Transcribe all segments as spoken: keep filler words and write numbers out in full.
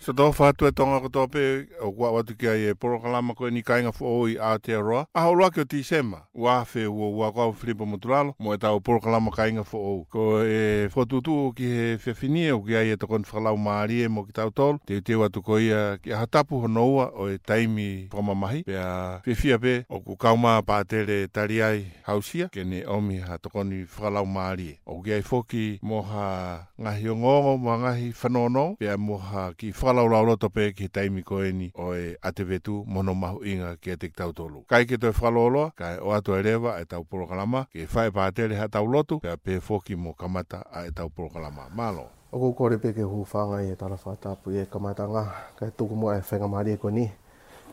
Siʻoto ʻofa atu e Tonga kotoa pē, ʻoku aʻu atu ki ai e polokalama ko eni Kāinga Foʻou ʻi Aotearoa, ʻaho ʻuluaki ʻo Tīsema, ua afe ua ua. Ko au Filipo Motulalo, mo ʻetau polokalama Kāinga Foʻou. Ko e fokotuʻutuʻu ki he efiafi ni ʻoku ʻi ai e tokoni fakalaumālie mo kitautolu, teuteu atu ko ia ki he ʻaho tapu hono ua ʻo e taimi fakamamahi, pea fiefia pē ʻoku kau mai Pātele Taliai Hausia, ke ne ʻomi ha tokoni fakalaumālie. ʻOku ʻi ai foki mo ha ngaahi ongoongo, mo ha ngaahi fanongo, pea mo ha kiʻi fakalaulauloto pē ki he taimi ko eni ʻo e ʻAtevetu mo hono mahuʻinga kiate kitautolu. ʻIkai ke toe fakalōloa, kae ʻoatu ai leva ʻetau polokalama, ke fai ʻe Pātele haʻatau lotu, pea pehē foki mo kamata ʻa ʻetau polokalama. Mālō. ʻOku ou kole pē ke u hūfanga ʻi he tala fakatapu ʻi he kamataʻanga, kae tuku muʻa e faingamālie ko eni,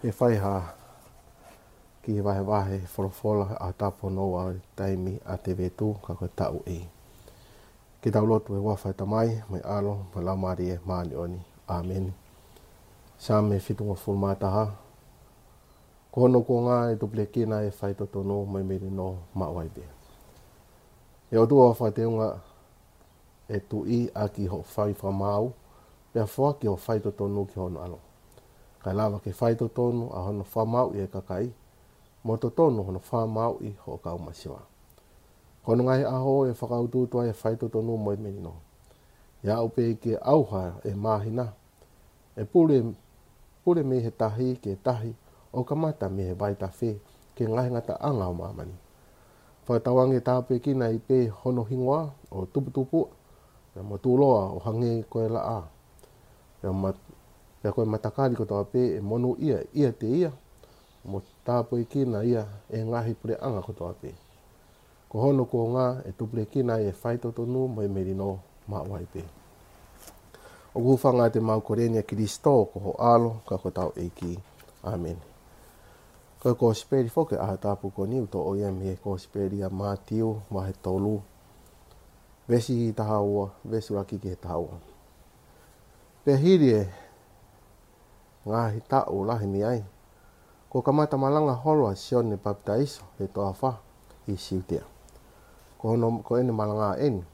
ʻe fai ha kiʻi vahevahe folofola ʻa e ʻaho tapu hono ua ʻo e taimi ʻAtevetu, ka ko e taʻu A. Ke tau lotu. ʻI he huafa ʻo e Tamai, mo e ʻAlo, mo e Laumālie Māʻoniʻoni. ʻĀmeni. Saame fitungofulu mā taha. Ko hono kuonga ʻe tupulekina ʻa e faitotonu mo e melino maʻu ai pē. ʻE ʻOtua, fakateunga e tuʻi ʻaki hoʻo fai fakamaau, pea foaki hoʻo faitotonu ki hono ʻAlo, kae lava ke faitotonu ʻa hono fakamaauʻi e kakai, mo totonu hono fakamaauʻi hoʻo kau masiva. Ko hono ngaahi ʻaho ʻe fakautuutu ai e faitotonu mo e melino. ʻE aʻu pē ke ʻauha e māhina, ʻe pule, pule mei he tahi ki he tahi, ʻo kamata mei he vaitafe ki he ngaahi ngataʻanga ʻo māmani. Fakatauange tāpuekina ai pē hono hingoa, ʻo tuputupuʻa, pea mo tuʻuloa ʻo hangē ko e laʻā. Pea ma-, pea ko e matakali kotoa pē ʻe monūʻia ʻiate ia, mo tāpuekina ia ʻe he ngaahi puleʻanga kotoa pē. Ko hono kuonga ʻe tupulekina ai e faitotonu mo e melino maʻu ai pē. ʻOku ou hūfanga atu ʻemau kole ni ʻia Kilisitō ko ho ʻAlo, ka ko hotau ʻEiki. ʻĀmeni. Ko e kosipeli foki ʻo e ʻaho tapu ko eni ʻoku toʻo ia mei he kosipeli ʻa Mātiu, vahe tolu, veesi taha ua, veesi ʻuluaki ki he taha ua. Pea hili e ngaahi taʻu lahi mei ai, kuo kamata malanga holo ʻa Sione Papitaiso he toafa ʻi Siutea. Ko hono, ko ʻene malanga eni: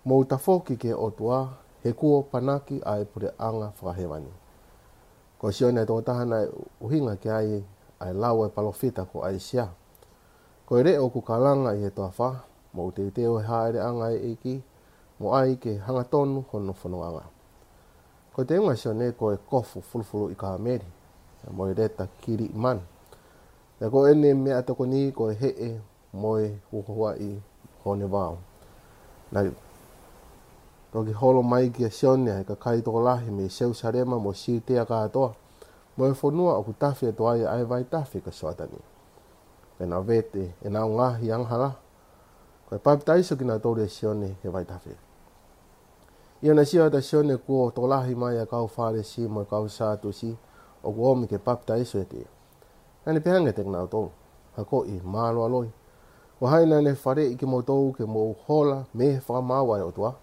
Mou tafoki ki he ʻOtua, he kuo panaki ʻa e puleʻanga fakahēvani. Ko Sione ʻa e tokotaha naʻe ʻuhinga ki ai ʻa e lau ʻa e palōfita ko ʻAisea: Ko e leʻo ʻoku kalanga ʻi he toafa, mou teuteu ʻa e hāʻeleʻanga ʻa e ʻEiki, mo ʻai ke hangatonu hono fonongaʻanga. Ko e teunga ʻa Sione ko e kofu fulufuluʻi kāmeli, mo e leta kiliʻimanu. Pea ko ʻene meʻatokoni ko e heʻe mo e huahuaʻi hone vao. Naʻe toki holo mai kia Sione ʻa e kakai tokolahi mei Selusalema mo Siutea kātoa, mo e fonua ʻoku tafe atu ai ʻa e vaitafe ko Soatani. Pea naʻe vete ʻenau ngaahi angahala, ko e papitaiso kinautolu ʻe Sione he vaitafe. ʻI heʻene sio atu ʻa Sione kuo tokolahi mai ʻa e kau Fālesi mo e kau Sātusi ʻoku ōmi ke papitaiso ʻiate ia, naʻa ne pehē ange kiate kinautolu: Hakoʻi mālualoi, ko hai naʻa ne faleʻi kimoutolu ke mou hola mei he fakamaau ʻa e ʻOtua?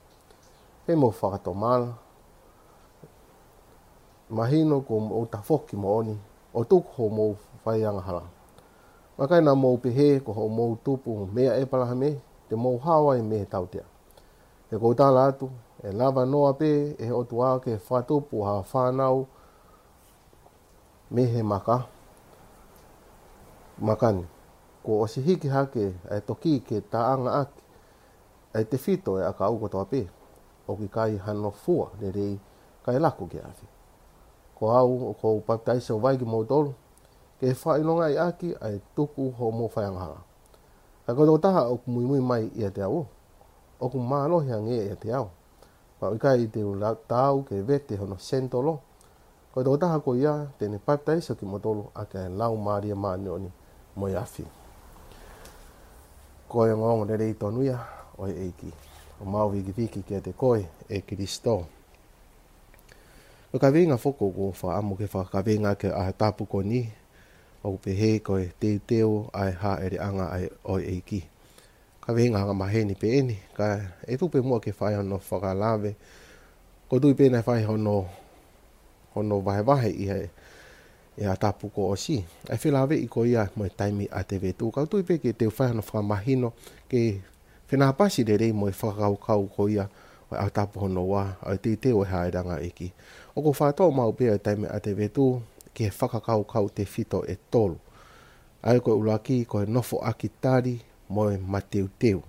Pea mou fakatomala, mahino kuo mou tafoki moʻoni, ʻo tuku hoʻomou fai angahala. Vakai, naʻa mou pehē ko hoʻomou tupu meia ʻĒpalahame te mou hao ai mei he tautea. He ʻoku ou tala atu, ʻe lava noa pē ʻe he ʻOtua ke fakatupu ha fānau mei he maka, maka ni. Kuo ʻosi hiki hake ʻa e toki ke taʻanga ʻaki ʻa e tefito ʻo e ʻakau kotoa pē. ʻOku ʻikai hano fua lelei kae laku ki he afi. Ko au, ʻoku ou papitaiso vai kimoutolu ke fakaʻilongaʻi ʻaki ʻa e tuku hoʻomou fai angahala. Ka ko e tokotaha ʻoku muimui mai ʻiate au, ʻoku mālohi ange ia ʻiate au. Pea ʻoku ʻikai te u la-, taau ke vete hono senitolo. Ko e tokotaha ko ia te ne papitaiso kimoutolu ʻaki ʻa e Laumālie Māʻoniʻoni mo e afi. Ko e ongoongo lelei tonu ia ʻo e ʻEiki. ʻOku mau vikiviki kiate koe, ʻe Kilisitō. Ko e kaveinga foki ʻoku ou fakaʻamu ke fakakaveinga ki he ʻaho tapu ko eni, ʻoku pehē ko e teuteu ʻa e hāʻeleʻanga ʻa e, ʻo e ʻEiki. Kaveinga angamaheni pē eni, ka ʻe tuku pē muʻa ke fai hono fakalave. ʻOku ou tui pē naʻe fai hono, hono vahevahe ʻi he, ʻi he ʻaho tapu kuo ʻosi, ʻa e felāveʻi ko ia mo e taimi ʻAtevetu. Ka ʻoku ou tui pē ke teu fai hono fakamahino ke fenāpasi lelei mo e fakakaukau ko ia ʻa e ʻaho tapu hono ua, ʻa e teuteu ʻo e hāʻele ʻa e ʻEiki. ʻOku ou fakatoʻo maʻu pē ʻa e taimi ʻa e ʻAtevitū ki he fakakaukau tefito ʻe tolu. ʻA ia ko e ʻuluaki, ko e nofoʻaki tali mo e mateuteu.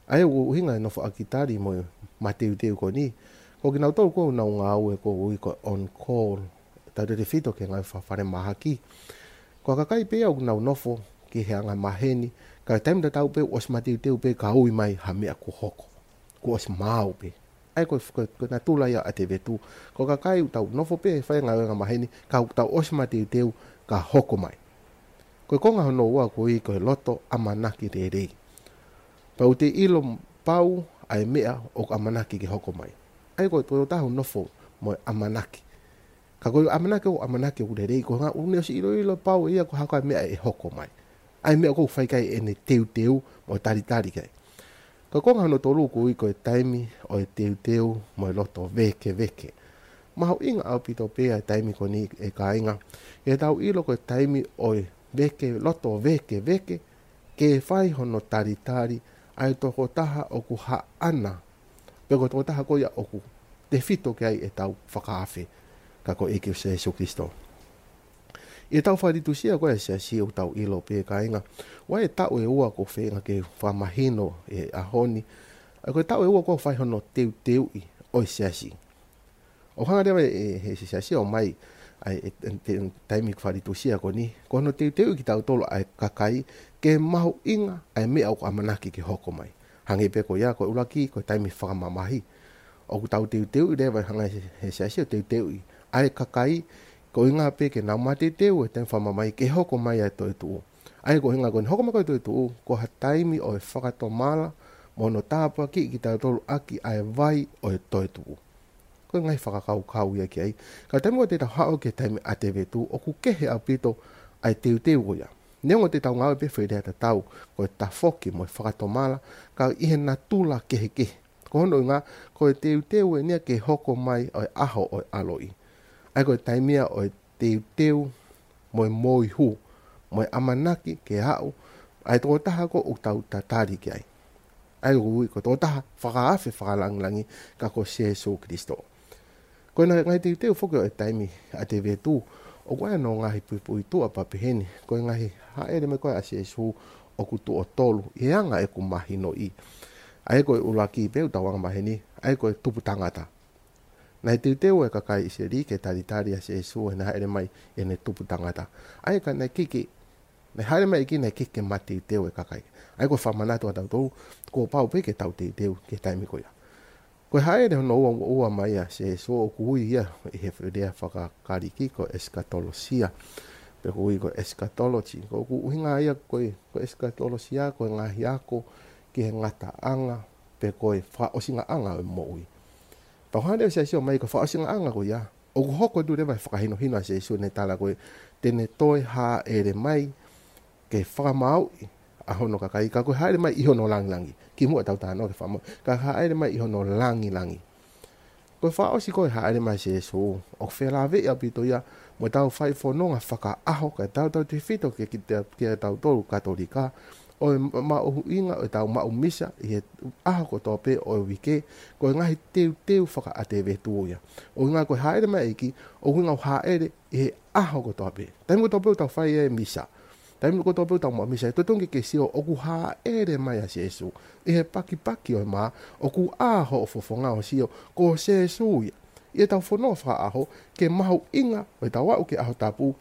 ʻA ia ʻoku ʻuhinga e nofoʻaki tali mo e mateuteu ko eni, ko kinautolu ʻoku nau ngāue ʻoku ui ko e on call, tautautefito ki he ngāue fakafalemahaki. Ko e kakai pē ia ʻoku nau nofo ki he angamaheni, ka ʻi he taimi tatau pē ʻosi mateuteu pē ka ui mai ha meʻa kuo hoko, kuo ʻosi maau pē. ʻA ia ko, ko, ko e natula ia ʻa e ʻAtevitū. Ko e kakai ʻoku tau nofo pē ʻo fai e ngāue angamaheni, ka ʻoku tau ʻosi mateuteu ka hoko mai. Ko e konga hono ua ʻoku ui ko e loto ʻamanaki lelei. Pau te ʻilo pau ʻa e meʻa ʻoku ʻamanaki ke hoko mai. ʻA ia ko e tokotaha ʻoku nofo mo e ʻamanaki. Ka ko e ʻamanaki ʻoku ʻamanaki ʻoku lelei, ko e ʻuhinga ʻoku ne ʻosi ʻiloʻilo pau ʻe ia ko e hā koā e meʻa ʻe hoko mai. ʻA e meʻa ʻoku fai ki ai ʻene teuteu mo talitali ki ai. Ka ko e konga hono tolu ʻoku ui ko e taimi ʻo e teuteu mo e loto vēkeveke. Mahuʻinga ʻaupito pē ʻa e taimi ko eni ʻe kāinga. ʻE tau ʻilo ko e taimi ʻo e veke, loto vēkeveke, ke fai hono talitali ʻa e tokotaha ʻoku haʻana, pe ko e tokotaha ko ia ʻoku tefito ki ai ʻetau fakaafe, ka ko e ʻEiki ko Sīsū Kalaisi. ʻI heʻetau fakalitusia ko e Siasi ʻoku tau ʻilo pē kāinga, ʻoku ʻi ai e taʻu ʻe ua ʻoku ou feinga ke fakamahino he ʻaho ni, ʻa ia ko e taʻu ʻe ua ʻoku fai hono teuteuʻi ʻo e Siasi. ʻOku hanga leva ʻe he Siasi ʻo ʻomai ʻa e, e, e, e taimi fakalitusia ko eni, ko hono teuteuʻi kitautolu ʻa e kakai ke mahuʻinga ʻa e meʻa ʻoku ʻamanaki ke hoko mai. Hangē pē ko ia, ko e ʻuluaki, ko e taimi fakamamahi. ʻOku tau teuteuʻi leva, hanga ʻe he Siasi ʻo teuteuʻi ʻa e kakai, ko e ʻuhinga pē ke nau mateuteu he taimi fakamamahi ke hoko mai ʻa e toetuʻu. ʻA ia ko e ʻuhinga ko eni, hoko mai ko e toetuʻu, ko ha taimi ʻo e fakatomala mo hono tāpuakiʻi kitautolu ʻaki ʻa e vai ʻo e toetuʻu. Ko e ngaahi fakakaukau ia ki ai. Ka taimi ʻoku te tau haʻu ki he taimi ʻa e ʻAtevitū, ʻoku kehe ʻaupito ʻa e teuteu ko ia. Neongo te tau ngāue pē foʻi lea tatau, ko e tafoki mo e fakatomala, ka ʻi he natula kehekehe. Ko hono ʻuhinga, ko e teuteu eni ia ke hoko mai ʻo e ʻaho ʻo e ʻaloʻi. ʻA ia ko e taimi ia ʻo e teuteu mo e moihū, mo e ʻamanaki ke aʻu ʻa e tokotaha ko ē ʻoku tau tatali ki ai. ʻA ia ʻoku ui ko e tokotaha fakaafe fakalangilangi ka ko Sīsū Kalaisi. Ko e ngaahi teuteu foki ʻo e taimi ʻa e ʻAtevitū, ʻoku ʻi ai hono ngaahi puipuituʻa pea pehē ni, ko e ngaahi hāʻele mai ko ē ʻa Sīsū ʻoku tuʻo tolu, ʻi he anga ʻeku mahinoʻi. ʻA ia ko e ʻuluaki pē ʻoku tau angamaheni, ʻa ia ko e tupu tangata. Naʻe teuteu e kakai ʻIsileli ke talitali ʻa Sīsū heʻene hāʻele mai ʻi heʻene tupu tangata. ʻA ia ka naʻe ʻikai ke, naʻe hāʻele mai ʻEiki naʻe ʻikai ke mateuteu e kakai. ʻA ia ko e fakamanatu ʻa tautolu, kuo pau pē ke tau teuteu ki he taimi ko ia. Ko e hāʻele hono ua, ua mai ʻa Sīsū ʻoku ui ia ʻi he lea fakaKalisi ko e esikatolosia. Pe ʻoku ui ko e eschatology. Ko ʻoku ʻuhinga ia ko e, ko e esikatolosia, ko e ngaahi ako ki he ngataʻanga, pe ko e fakaʻosingaʻanga ʻo e moʻui. Pea ko e hāʻele ʻa Sīsū mai ko e fakaʻosingaʻanga ko ia, ʻoku hoko atu leva e fakahinohino ʻa Sīsū heʻene tala ko ē te ne toe hāʻele mai ke fakamaauʻi ʻa hono kakai, ka ko e hāʻele mai ʻi hono langilangi. Kimuʻa tau talanoa ki he fakamaauʻi, ka hāʻele mai ʻi hono langilangi. Ko e fakaʻosi ko ē hāʻele mai ʻa Sīsū, ʻoku felāveʻi ʻaupito ia mo ʻetau fai fononga fakaʻaho, ka tautautefito ki, ki, kia tautolu Katolika, ʻo e ma-, mahuʻinga ʻo ʻetau maʻu misa ʻi he ʻaho kotoa pē ʻo e uike, ko e ngaahi teuteu fakaʻatevitū ia. ʻUhinga ko e hāʻele mai ʻEiki, ʻoku ʻuhinga ʻoku hāʻele ʻi he ʻaho kotoa pē. Taimi kotoa pē ʻoku tau fai e misa. Taimi kotoa pē ʻoku tau maʻu misa. ʻE totonu ke ke sio ʻoku hāʻele mai ʻa Sīsū. ʻI he pakipaki ʻo e mā, ʻoku ʻā hoʻo fofonga ʻo sio, ko Sīsū ia. ʻI heʻetau fononga fakaʻaho, ke mahuʻinga ʻo ʻetau aʻu ki he ʻaho tapu,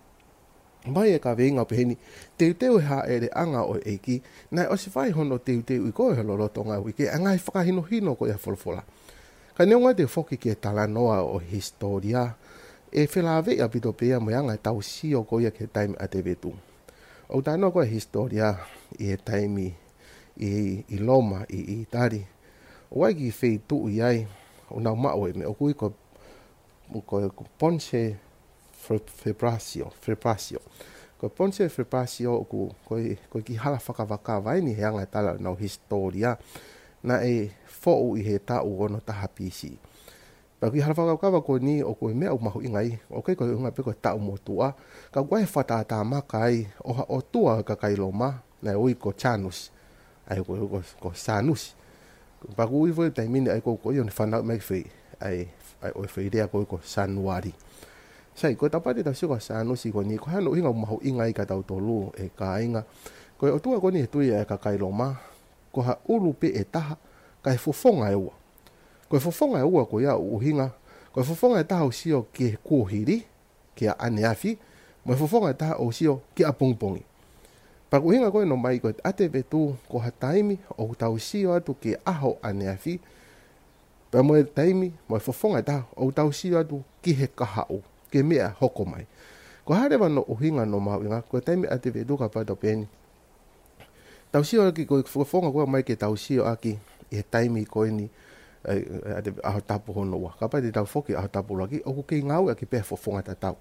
mai e kaveinga ʻo pehē ni, teuteu e hāʻeleʻanga ʻo e ʻEiki, naʻe ʻosi fai hono teuteuʻi ko ē he lolotonga ʻo e uike, ʻa e ngaahi fakahinohino ko ia ʻa e folofola. Ka neongo te u foki ki he talanoa ʻo e hisitōlia, ʻe felāveʻi ʻaupito pē ia mo e anga ʻetau sio ko ia ki he taimi ʻa e ʻAtevitū. ʻOku talanoa ko ē ʻa e hisitōlia ʻi he taimi ʻi, ʻi Loma, ʻi, ʻi ʻItali. ʻOku ʻi ai e kiʻi feituʻu ʻi ai, ʻoku nau maʻu e meʻa ʻoku ui ko, ko, ko Ponte Fa-, Fabrasio, Fabrasio. Ko Ponte Fabrasio ʻoku, ko e, ko e kiʻi hala fakakavakava eni he anga e tala ʻenau hisitōlia. Naʻe foʻu ʻi he taʻu ono taha B C. Pea ko e kiʻi hala fakakavakava ko eni ʻoku ʻi ai e meʻa ʻoku mahuʻinga ai, ʻoku ʻikai ko e ʻuhinga pē ko e taʻu motuʻa, ka ʻoku ʻi ai e fakatātā maka ai ʻo ha ʻotua ʻo e kakai Loma, naʻe ui ko Janus, ʻa ia ko, ko, ko Sanusi. Pea ʻoku ui foki e taimi ni ʻa ia ko ē ʻoku ʻi ai ʻene fanauʻi mai ki he foʻi, ʻa e, ʻa e, ʻo e foʻi lea ko ē ko Sānuali. Sai, ko e Tapati tau sio ko Sānusi ko eni, ko e hā hono ʻuhinga ʻoku mahuʻinga ai kia tautolu e kāinga. Ko e ʻOtua ko eni he tui ʻa e kakai Loma, ko ha ʻulu pē ʻe taha, kae fofonga ʻe ua. Ko e fofonga ʻe ua ko ia ʻoku ʻuhinga, ko e fofonga ʻe taha ʻoku sio ki he kuohili, ki he ʻaneafi, mo e fofonga ʻe taha ʻoku sio ki he ʻapongipongi. Pea ko e ʻuhinga ko ē ʻoku ʻomai ko e ʻAtevetu, ko ha taimi ʻoku tau sio atu ki he ʻaho ʻaneafi, pea mo e taimi, mo e fofonga ʻe taha ʻoku tau sio atu ki he kahaʻu, ki he meʻa hoko mai. Ko e hā leva hono ʻuhinga ʻoku mahuʻinga, ko e taimi ʻAtevetu kapau te tau pehē ni, tau sio ʻaki ko e fofonga ko ē ʻoku ʻomai ke tau sio ʻaki ʻi he taimi ko eni, ʻa e, ʻa e ʻAho Tapu hono ua. Kapau te tau foki ʻAho Tapu ʻuluaki, ʻoku kei ngāueʻaki pē fofonga tatau.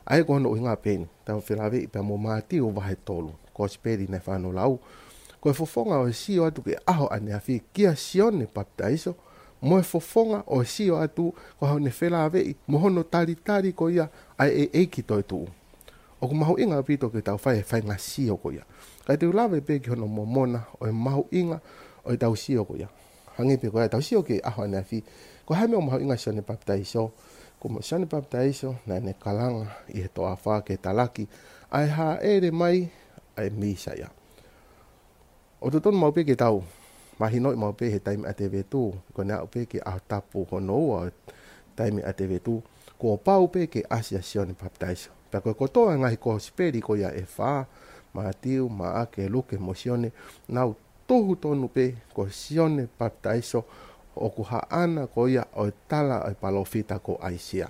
ʻA ia ko hono ʻuhinga pē eni, tau felāveʻi pea mo Mātiu vahe tolu, Kosipeli naʻe fai hono lau. Ko e fofonga ʻo e sio atu ki he ʻaho ʻaneafi kia Sione Papitaiso, mo e fofonga ʻo e sio atu ko hono felāveʻi mo hono talitali ko ia ʻa e ʻEiki toetuʻu. ʻOku mahuʻinga ʻaupito ke tau fai e faʻahinga sio ko ia. Kae te u lave pē ki hono momona ʻo e mahuʻinga ʻo ʻetau sio ko ia. Hangē pē ko ia ʻetau sio ki he ʻaho ʻaneafi. Ko e hā e meʻa ʻoku mahuʻinga Sione Papitaiso? Ko mo Sione Papitaiso naʻá ne kalanga ʻi he toafa ke talaki ʻa e hāʻele mai ʻa e Mīsaia. ʻOku totonu maʻu pē ke tau mahinoʻi maʻu pē he taimi ʻAtevetu, ko ʻene aʻu pē ki he ʻaho tapu hono ua ʻo e taimi ʻAtevetu, kuo pau pē ke ʻasi ʻa Sione Papitaiso. Pea ko e kotoa e ngaahi kosipeli ko ia ʻe fā, Mātiu, Maʻake, Luke mo Sione, nau tuhu tonu pē ko Sione Papitaiso ʻoku haʻana ko ia ʻo e tala ʻa e palōfita ko ʻAisea.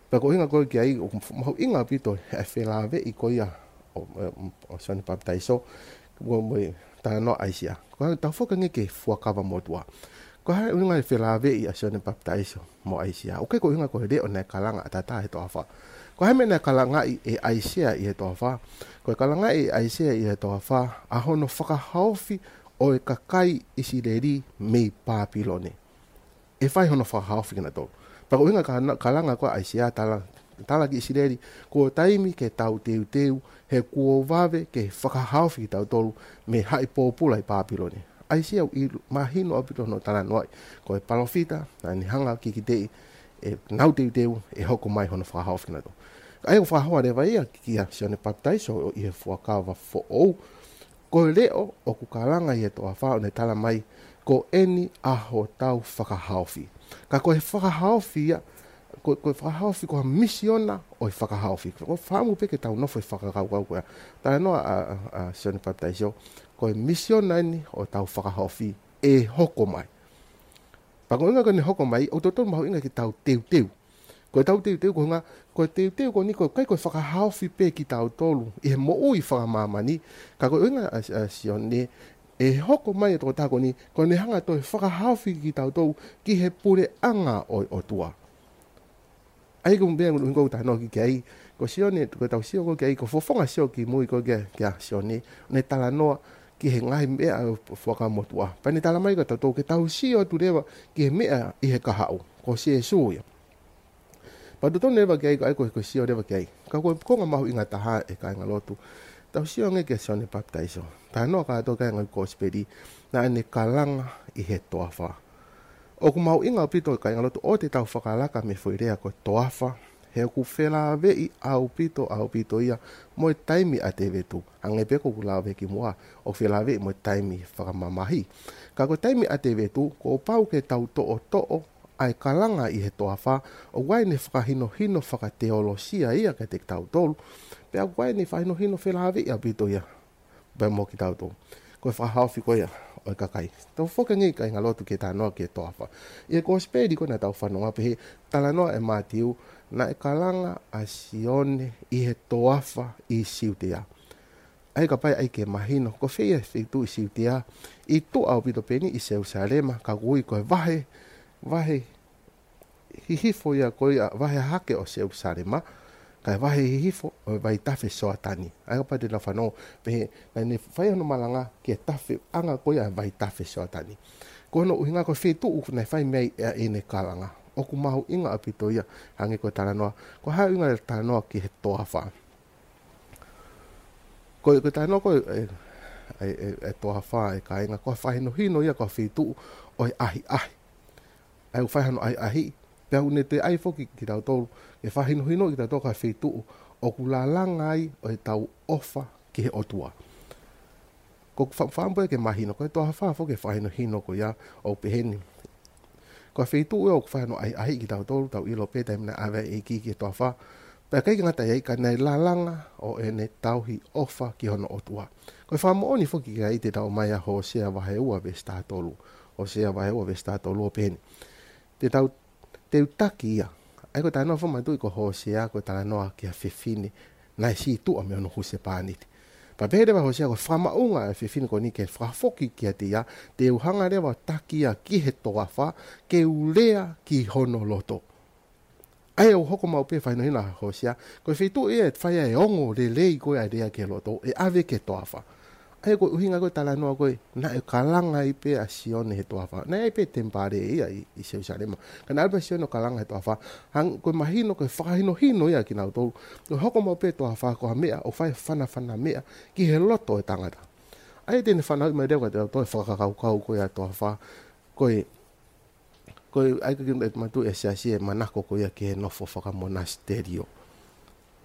Pea ko e ʻuhinga ko ē ki ai, ʻoku mahuʻinga ʻaupito e felāveʻi ko ia ʻo, ʻo, ʻo Sione Papitaiso, mo, mo e talanoa ʻAisea. Ko e tau foki ange ki he Fuakava Motuʻa. Ko e hā e ʻuhinga e felāveʻi ʻa Sione Papitaiso mo ʻAisea? ʻOku ʻikai ko e ʻuhinga ko e leʻo naʻe kalanga ʻataʻatā he toafa. Ko e hā e meʻa naʻe kalangaʻi ʻe ʻAisea ʻi he toafa? Ko e kalangaʻi ʻe ʻAisea ʻi he toafa ʻa hono fakahaofi ʻo e kakai ʻIsileli mei Pāpilone. ʻE fai hono fakahaofi kinautolu. Pea ko e ʻuhinga ka na-, kalanga ko ē ʻa ʻAisea tala, tala ki ʻIsileli, kuo taimi ke tau teuteu, he kuo vave ke fakahaofi kitautolu mei he haʻi pōpula ʻi Pāpilone. ʻAisea ʻoku ʻilu-, mahino ʻaupito hono talanoaʻi, ko e palōfita naʻá ne hanga ʻo kikiteʻi ʻenau teuteu ʻe hoko mai hono fakahaofi kinautolu. ʻA ia ʻoku fakahoa leva ia kia Sione Papitaiso ʻi he Fuakava Foʻou, ko e leʻo ʻoku kalanga ʻi he toafa ʻo ne tala mai, ko eni ʻa hotau fakahaofi. Ka ko e fakahaofi ia, ko, ko e fakahaofi ko ha misiona ʻo e fakahaofi. Ko e fakaʻamu pē ke tau nofo ʻi he fakakaukau ko ia. Talanoa ʻa, ʻa, ʻa Sione Papitaiso, ko e misiona eni ʻo ʻetau fakahaofi ʻe hoko mai. Pea ko e ʻuhinga ko ʻene hoko mai, ʻoku totonu mahuʻinga ke tau teuteu. Ko ʻetau teuteu ko e ʻuhinga, ko e teuteu ko eni ʻoku ʻikai ko e fakahaofi pē kitautolu ʻi he moʻui fakamāmani, ka ko e ʻuhinga ʻa, ʻa Sione, ʻe hoko mai e tokotaha ko eni, ko ʻene hanga ʻo toe fakahaofi kitautolu ki he puleʻanga ʻo e ʻOtua. ʻA ia ko e meʻa ʻoku ou talanoa ki ai, ko Sione, ko ʻetau sio ko ē ki ai, ko e fofonga sio ki mui ko ē kia, kia Sione, ne talanoa ki he ngaahi meʻa ʻo e Fuakava Motuʻa. Pea ne tala mai kia tautolu ke tau sio atu leva ki he meʻa ʻi he kahaʻu, ko Sīsū ia. Pea totonu leva ki ai, ko e, ko e, ko e sio leva ki ai. Ka ko e konga mahuʻinga taha ē kāingalotu. Tau sio ange kia Sione Papitaiso. Talanoa kātoa ki ai e ngaahi kosipeli, naʻá ne kalanga ʻi he toafa. ʻOku mahuʻinga ʻaupito kāingalotu ʻoua te tau fakalaka mei he foʻi lea ko e toafa, he ʻoku felāveʻi ʻaupito, ʻaupito ia mo e taimi ʻAtevetu. Hangē pē ko ʻeku lave ki muʻa, ʻoku felāveʻi mo e taimi fakamamahi. Ka ko e taimi ʻAtevetu, kuo pau ke tau toʻotoʻo ʻa e kalanga ʻi he toafa, ʻoku ʻi ai ʻene fakahinohino fakateolosia ia kiate kitautolu, pea ʻoku ʻi ai ʻene fakahinohino felāveʻi ʻaupito ia pea mo kitautolu. Ko e fakahaofi ko ia ʻo e kakai. Tau foki ange kāingalotu ki he talanoa ki he toafa. ʻI he kosipeli ko ē naʻa tau fanongo pē he talanoa ʻe Mātiu, naʻe kalanga ʻa Sione ʻi he toafa ʻi Siutea. ʻA ia kapau ʻe ʻai ke mahino, ko fē ia e feituʻu ʻi Siutea, ʻi tuʻa ʻaupito pē eni ʻi Selusalema, ka ʻoku ui ko e vahe, vahe hihifo ia ko ia, vahe hahake ʻo Selusalema, kae vahe hihifo ʻo e vaitafe Soatani. ʻA ia kapau te tau fanongo, pehē, naʻá ne fai hono malanga ki he tafeʻanga ko ia ʻo e vaitafe Soatani. Ko hono ʻuhinga ko e feituʻu naʻe fai mei ai ʻa ʻene kalanga. ʻOku mahuʻinga ʻaupito ia, hangē ko e talanoa, ko e hā e ʻuhinga e talanoa ki he toafa. Ko e, ko e talanoa ko e, e, e, e, e toafa ē kāinga, ko e fakahinohino ia ko e feituʻu ʻo e ʻahiʻahi. ʻA ia ʻoku fai hano ʻahiʻahi, pea ʻoku ne toe ʻai foki kitautolu, ke fakahinohinoʻi kitautolu ki ha feituʻu ʻoku lalanga ai ʻetau ʻofa ki he ʻOtua. Ko e fa-, fakaʻamu pē ke mahino, ko e toafa foki e fakahinohino ko ia ʻoku peheni. Ko e feituʻu ia ʻoku fai hano ʻahiʻahi kitautolu, tau ʻilo pē taimi naʻe ʻave ʻa e ʻEiki ki he toafa. Pea ʻikai ke ngata ai, ka naʻe lalanga ʻo ʻene tauhi ʻofa ki hono ʻOtua. Ko e fakamoʻoni foki ki ai te tau ʻomai ʻa Hōsea vahe ua veesi taha tolu. Hōsea vahe ua veesi taha tolu ʻoku peheni. Te tau, te u taki ia. ʻA ia ko e talanoa fakamanatuʻi ko Hōsea ko e talanoa ki ha fefine naʻe sītuʻa mei hono husepāniti. Pea pehē leva ʻe Hōsea ko e fakamaʻunga ʻa e fefine ko eni ke fakafoki kiate ia, te u hanga leva ʻo taki ia ki he toafa, ke u lea ki hono loto. ʻA ia ʻoku hoko maʻu pē fakahinohino ʻa Hōsea, ko e feituʻu ia ʻe fai ai e ongo lelei ko ē ʻa e lea ki he loto, ʻe ʻave ki he toafa. ʻA ia ko e ʻuhinga ko e talanoa ko ē, naʻe kalanga ai pē ʻa Sione he toafa. Naʻe ʻi ai pē temipale ia ʻi, ʻi Selusalema. Ka naʻe ʻalu pē ʻa Sione ʻo kalanga he toafa. Hangē ko e mahino, ko e fakahinohino ia kiate kinautolu. ʻOku hoko maʻu pē toafa ko ha meʻa ʻoku fai fanafana meʻa ki he loto ʻo e tangata. ʻA ia te ne fanauʻi mai leva kiate kitautolu e fakakaukau ko ia ʻa e toafa. Ko e, ko e, ʻa ia ʻoku ʻikai ke manatuʻi ʻe he siasi e manako ko ia ki he nofo fakamonasitelio.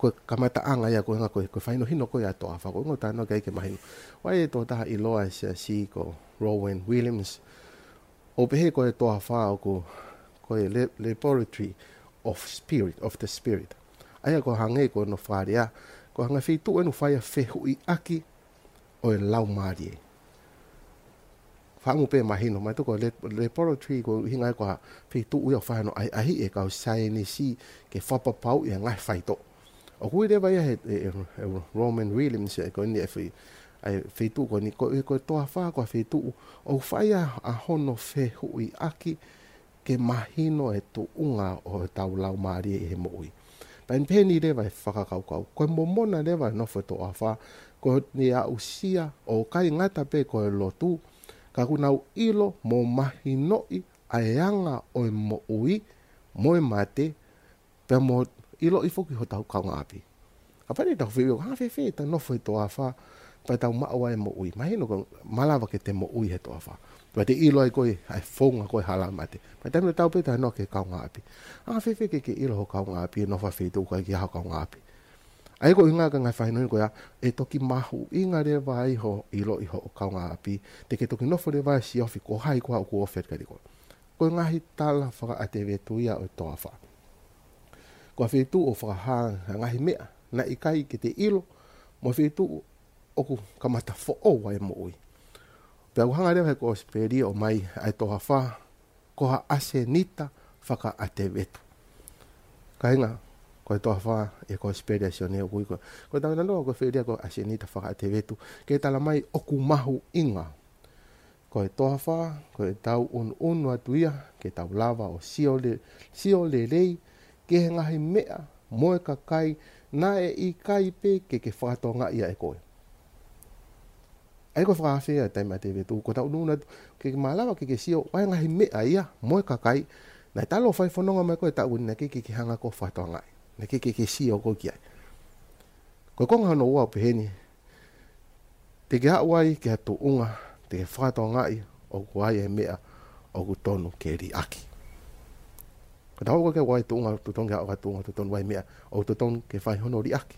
Ko e kamataʻanga ia ko e ʻuhinga ko e, ko e fakahinohino ko ia ʻa e toafa, ko e ʻuhinga ʻoku tau talanoa ki ai ke mahino. ʻOku ʻi ai e tokotaha ʻiloa ʻa e siasi ko Rowan Williams. ʻOku pehē ko e toafa ʻoku, ko e le-, laboratory of spirit, of the spirit. ʻA ia ʻoku hangē ko hono fakalea, ko e ngaahi feituʻu ʻeni ʻoku fai ai e fehuʻiʻaki ʻo e laumālie. Fakaʻamu pē mahino, mahalo ko e le-, laboratory ko e ʻuhinga ia ko ha feituʻu ia ʻoku fai ai hano ʻahiʻahi ʻe he kau saienisi ke fakapapauʻi e ngaahi faitoʻo. ʻOku ui leva ia ʻe he, ʻe, ʻe, ʻe Rowan Williams ʻa e ko eni e fei-, ʻa e feituʻu ko eni, ko e, ko e toafa ko ha feituʻu ʻoku fai ai ʻa hono fehuʻiʻaki ke mahino e tuʻunga ʻo ʻetau laumālie ʻi he moʻui. Pea ʻi ai pē eni leva e fakakaukau, ko e momona leva e nofo e toafa, ko ʻene aʻusia ʻoku ʻikai ngata pē ko e lotu, ka kuo nau ʻilo mo mahinoʻi ʻa e anga ʻo e moʻui, mo e mate, pea mo ʻiloʻi foki hotau kaungāʻapi. Kapau te tau fehuʻi, ʻoku anga fēfē ʻetau nofo he toafa, pea tau maʻu ai e moʻui. Mahino ʻoku malava ke te moʻui he toafa. Pea te ʻilo ai ko e, ʻa e founga ko e hala mate. Pea taimi tatau pē ʻetau noa ki he kaungāʻapi. Anga fēfē ke ke ʻilo ho kaungāʻapi, ʻi he nofo he feituʻu ʻoku ʻikai ke ʻi ai ha kaungāʻapi. ʻA ia ko e ʻuhinga ko e ngaahi fakahinohino ko ia, ʻe toki mahuʻinga leva ai hoʻo ʻiloʻi hoʻo kaungāʻapi, te ke toki nofo leva ʻo siofi ko hai koā ʻoku ofi atu kiate koe. Ko e ngaahi tala fakaʻatevetu ia ʻo e toafa. Ko ha feituʻu ʻoku fakahā ʻa e ngaahi meʻa naʻe ʻikai ke te ʻilo, mo e feituʻu ʻoku kamata foʻou ai e moʻui. Pea ʻoku hanga leva ʻe he kosipeli ʻo ʻomai ʻa e toafa ko ha ʻasenita fakaʻatevetu. Kāinga, ko e toafa ʻi he kosipeli ʻa Sione ʻoku ui ko, ko e talanoa ko e fehuʻi ko e ʻasenita fakaʻatevetu, ke tala mai ʻoku mahuʻinga. Ko e toafa, ko ʻetau ʻunuʻunu atu ia, ke tau lava ʻo sio le-, sio lelei ki he ngaahi meʻa mo e kakai naʻe ʻikai pē ke ke fakatokangaʻi ia ʻe koe. ʻA ia ko e fakaafe ia ʻa e taimi ʻatevetu, ko ʻetau ʻunuʻunu atu, ke ke malava ke ke sio, ʻa e ngaahi meʻa ia mo e kakai, naʻe talu ʻo fai fononga mai koe he taʻu ni naʻe ʻikai ke ke hanga ʻo fakatokangaʻi, naʻe ʻikai ke ke sio koe ki ai. Ko e konga hono ua ʻoku peheni, te ke aʻu ai ki ha tuʻunga, te ke fakatokangaʻi ʻoku ʻi ai e meʻa ʻoku tonu ke liʻaki. Ka tau aʻu ki ha tuʻunga, totonu ke aʻu ki ha tuʻunga, totonu ʻoku ʻi ai e meʻa ʻoku totonu ke fai hono liʻaki.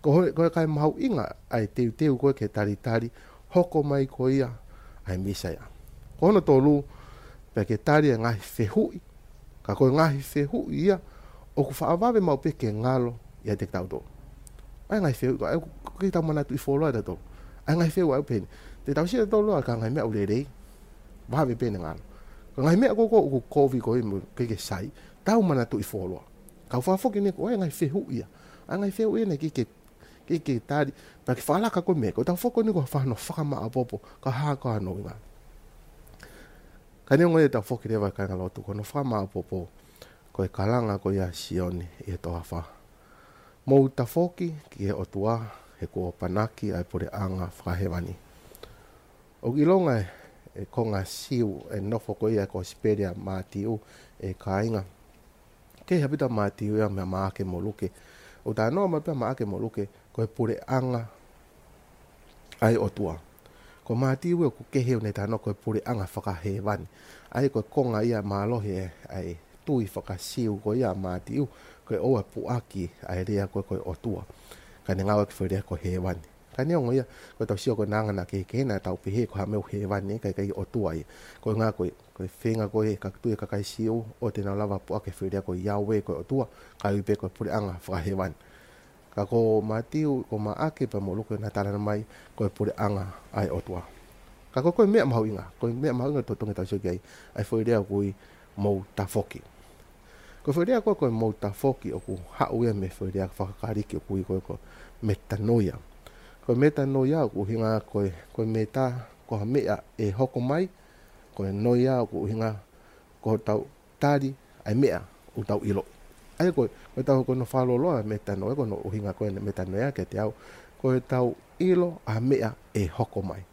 Ko ho-, ko e kae mahuʻinga ʻa e teuteu ko ē ke talitali, hoko mai ko ia ʻa e Mīsaia. Ko hono tolu, pea ke tali e ngaahi fehuʻi, ka ko e ngaahi fehuʻi ia, ʻoku faʻa vave maʻu pē ke ngalo ʻiate kitautolu. ʻA e ngaahi fehuʻi, ka ʻoku, ʻoku ʻikai ke tau manatuʻi fuoloa ʻe tautolu. ʻA e ngaahi fehuʻi ʻoku peheni. Te tau sio tautolu ʻa e ngaahi meʻa ʻoku lelei, vave pē ʻene ngalo. Ka ngaahi meʻa ko ē ʻoku kovi ko ē mo ʻikai ke sai, tau manatuʻi fuoloa. Ka ʻoku fakafoki eni ko e ngaahi fehuʻi ia. ʻA e ngaahi fehuʻi ia naʻe ʻikai ke, ʻikai ke tali, pea ke fakalaka ko e meʻa, ko ʻetau foki eni ko e fai hano fakamāʻopoʻopo, ka hā ko hono ʻuhinga. Ka neongo ia ʻetau foki leva kāinga lotu, ko hono fakamāʻopoʻopo, ko e kalanga ko ia ʻa Sione ʻi he toafa. Mou tafoki ki he ʻOtua, he kuo ʻapanaki ʻa e puleʻanga fakahēvani. ʻOku ʻilonga ʻe he konga Siu e nofo ko ia ʻo e kosipeli ʻa Mātiu ʻe kāinga. Kehe ʻaupito ʻa Mātiu ia mei Maʻake mo Luke. ʻOku talanoa mai pē ʻa Maʻake mo Luke, ko e puleʻanga ʻa e ʻOtua. Ko Mātiu ʻoku kehe ʻene talanoa ko e puleʻanga fakahēvani. ʻA ia ko e konga ia mālohi ʻa e tui faka-Siu ko ia ʻa Mātiu, ko e ʻoua ʻe puʻaki ʻa e lea ko e, ko e ʻOtua. Ka ne ngāueʻaki e foʻi lea ko hēvani. Ka neongo ia, ko ʻetau sio ko e anga naʻa ke, ke na tau pehē ko ha meʻa ʻoku hēvani, ka ʻikai ʻOtua ia. Ko e ʻuhinga ko e, ko e feinga ko e, ka tui e kakai Siu, ʻoua te nau lava puʻaki e foʻi lea ko Yahweh ko e ʻOtua, kae ui pē ko e puleʻanga fakahēvani. Ka ko Mātiu, ko Maʻake pea mo Luke naʻa nau talanoa mai ko e puleʻanga ʻa e ʻOtua. Ka ko e, ko e meʻa mahuʻinga, ko e meʻa mahuʻinga totongi tau sio ki ai, ʻa e foʻi lea ʻoku ui mou tafoki. Ko e foʻi lea ko e, ko e mou tafoki ʻoku haʻu ia mei he foʻi lea faka-Kalisi ʻoku ui ko e, ko e metanoia. Ko e metanoia ʻoku ʻuhinga ko e, ko e meta, ko ha meʻa ʻe hoko mai, ko e noia ʻoku ʻuhinga ko hotau tali ʻa e meʻa ʻoku tau ʻiloʻi. ʻA ia ko e, ko ʻetau, ko hono fakalōloa metanoia, ko hono ʻuhinga ko ē ʻene metanoia kiate au, ko ʻetau ʻilo ʻa e meʻa ʻe hoko mai.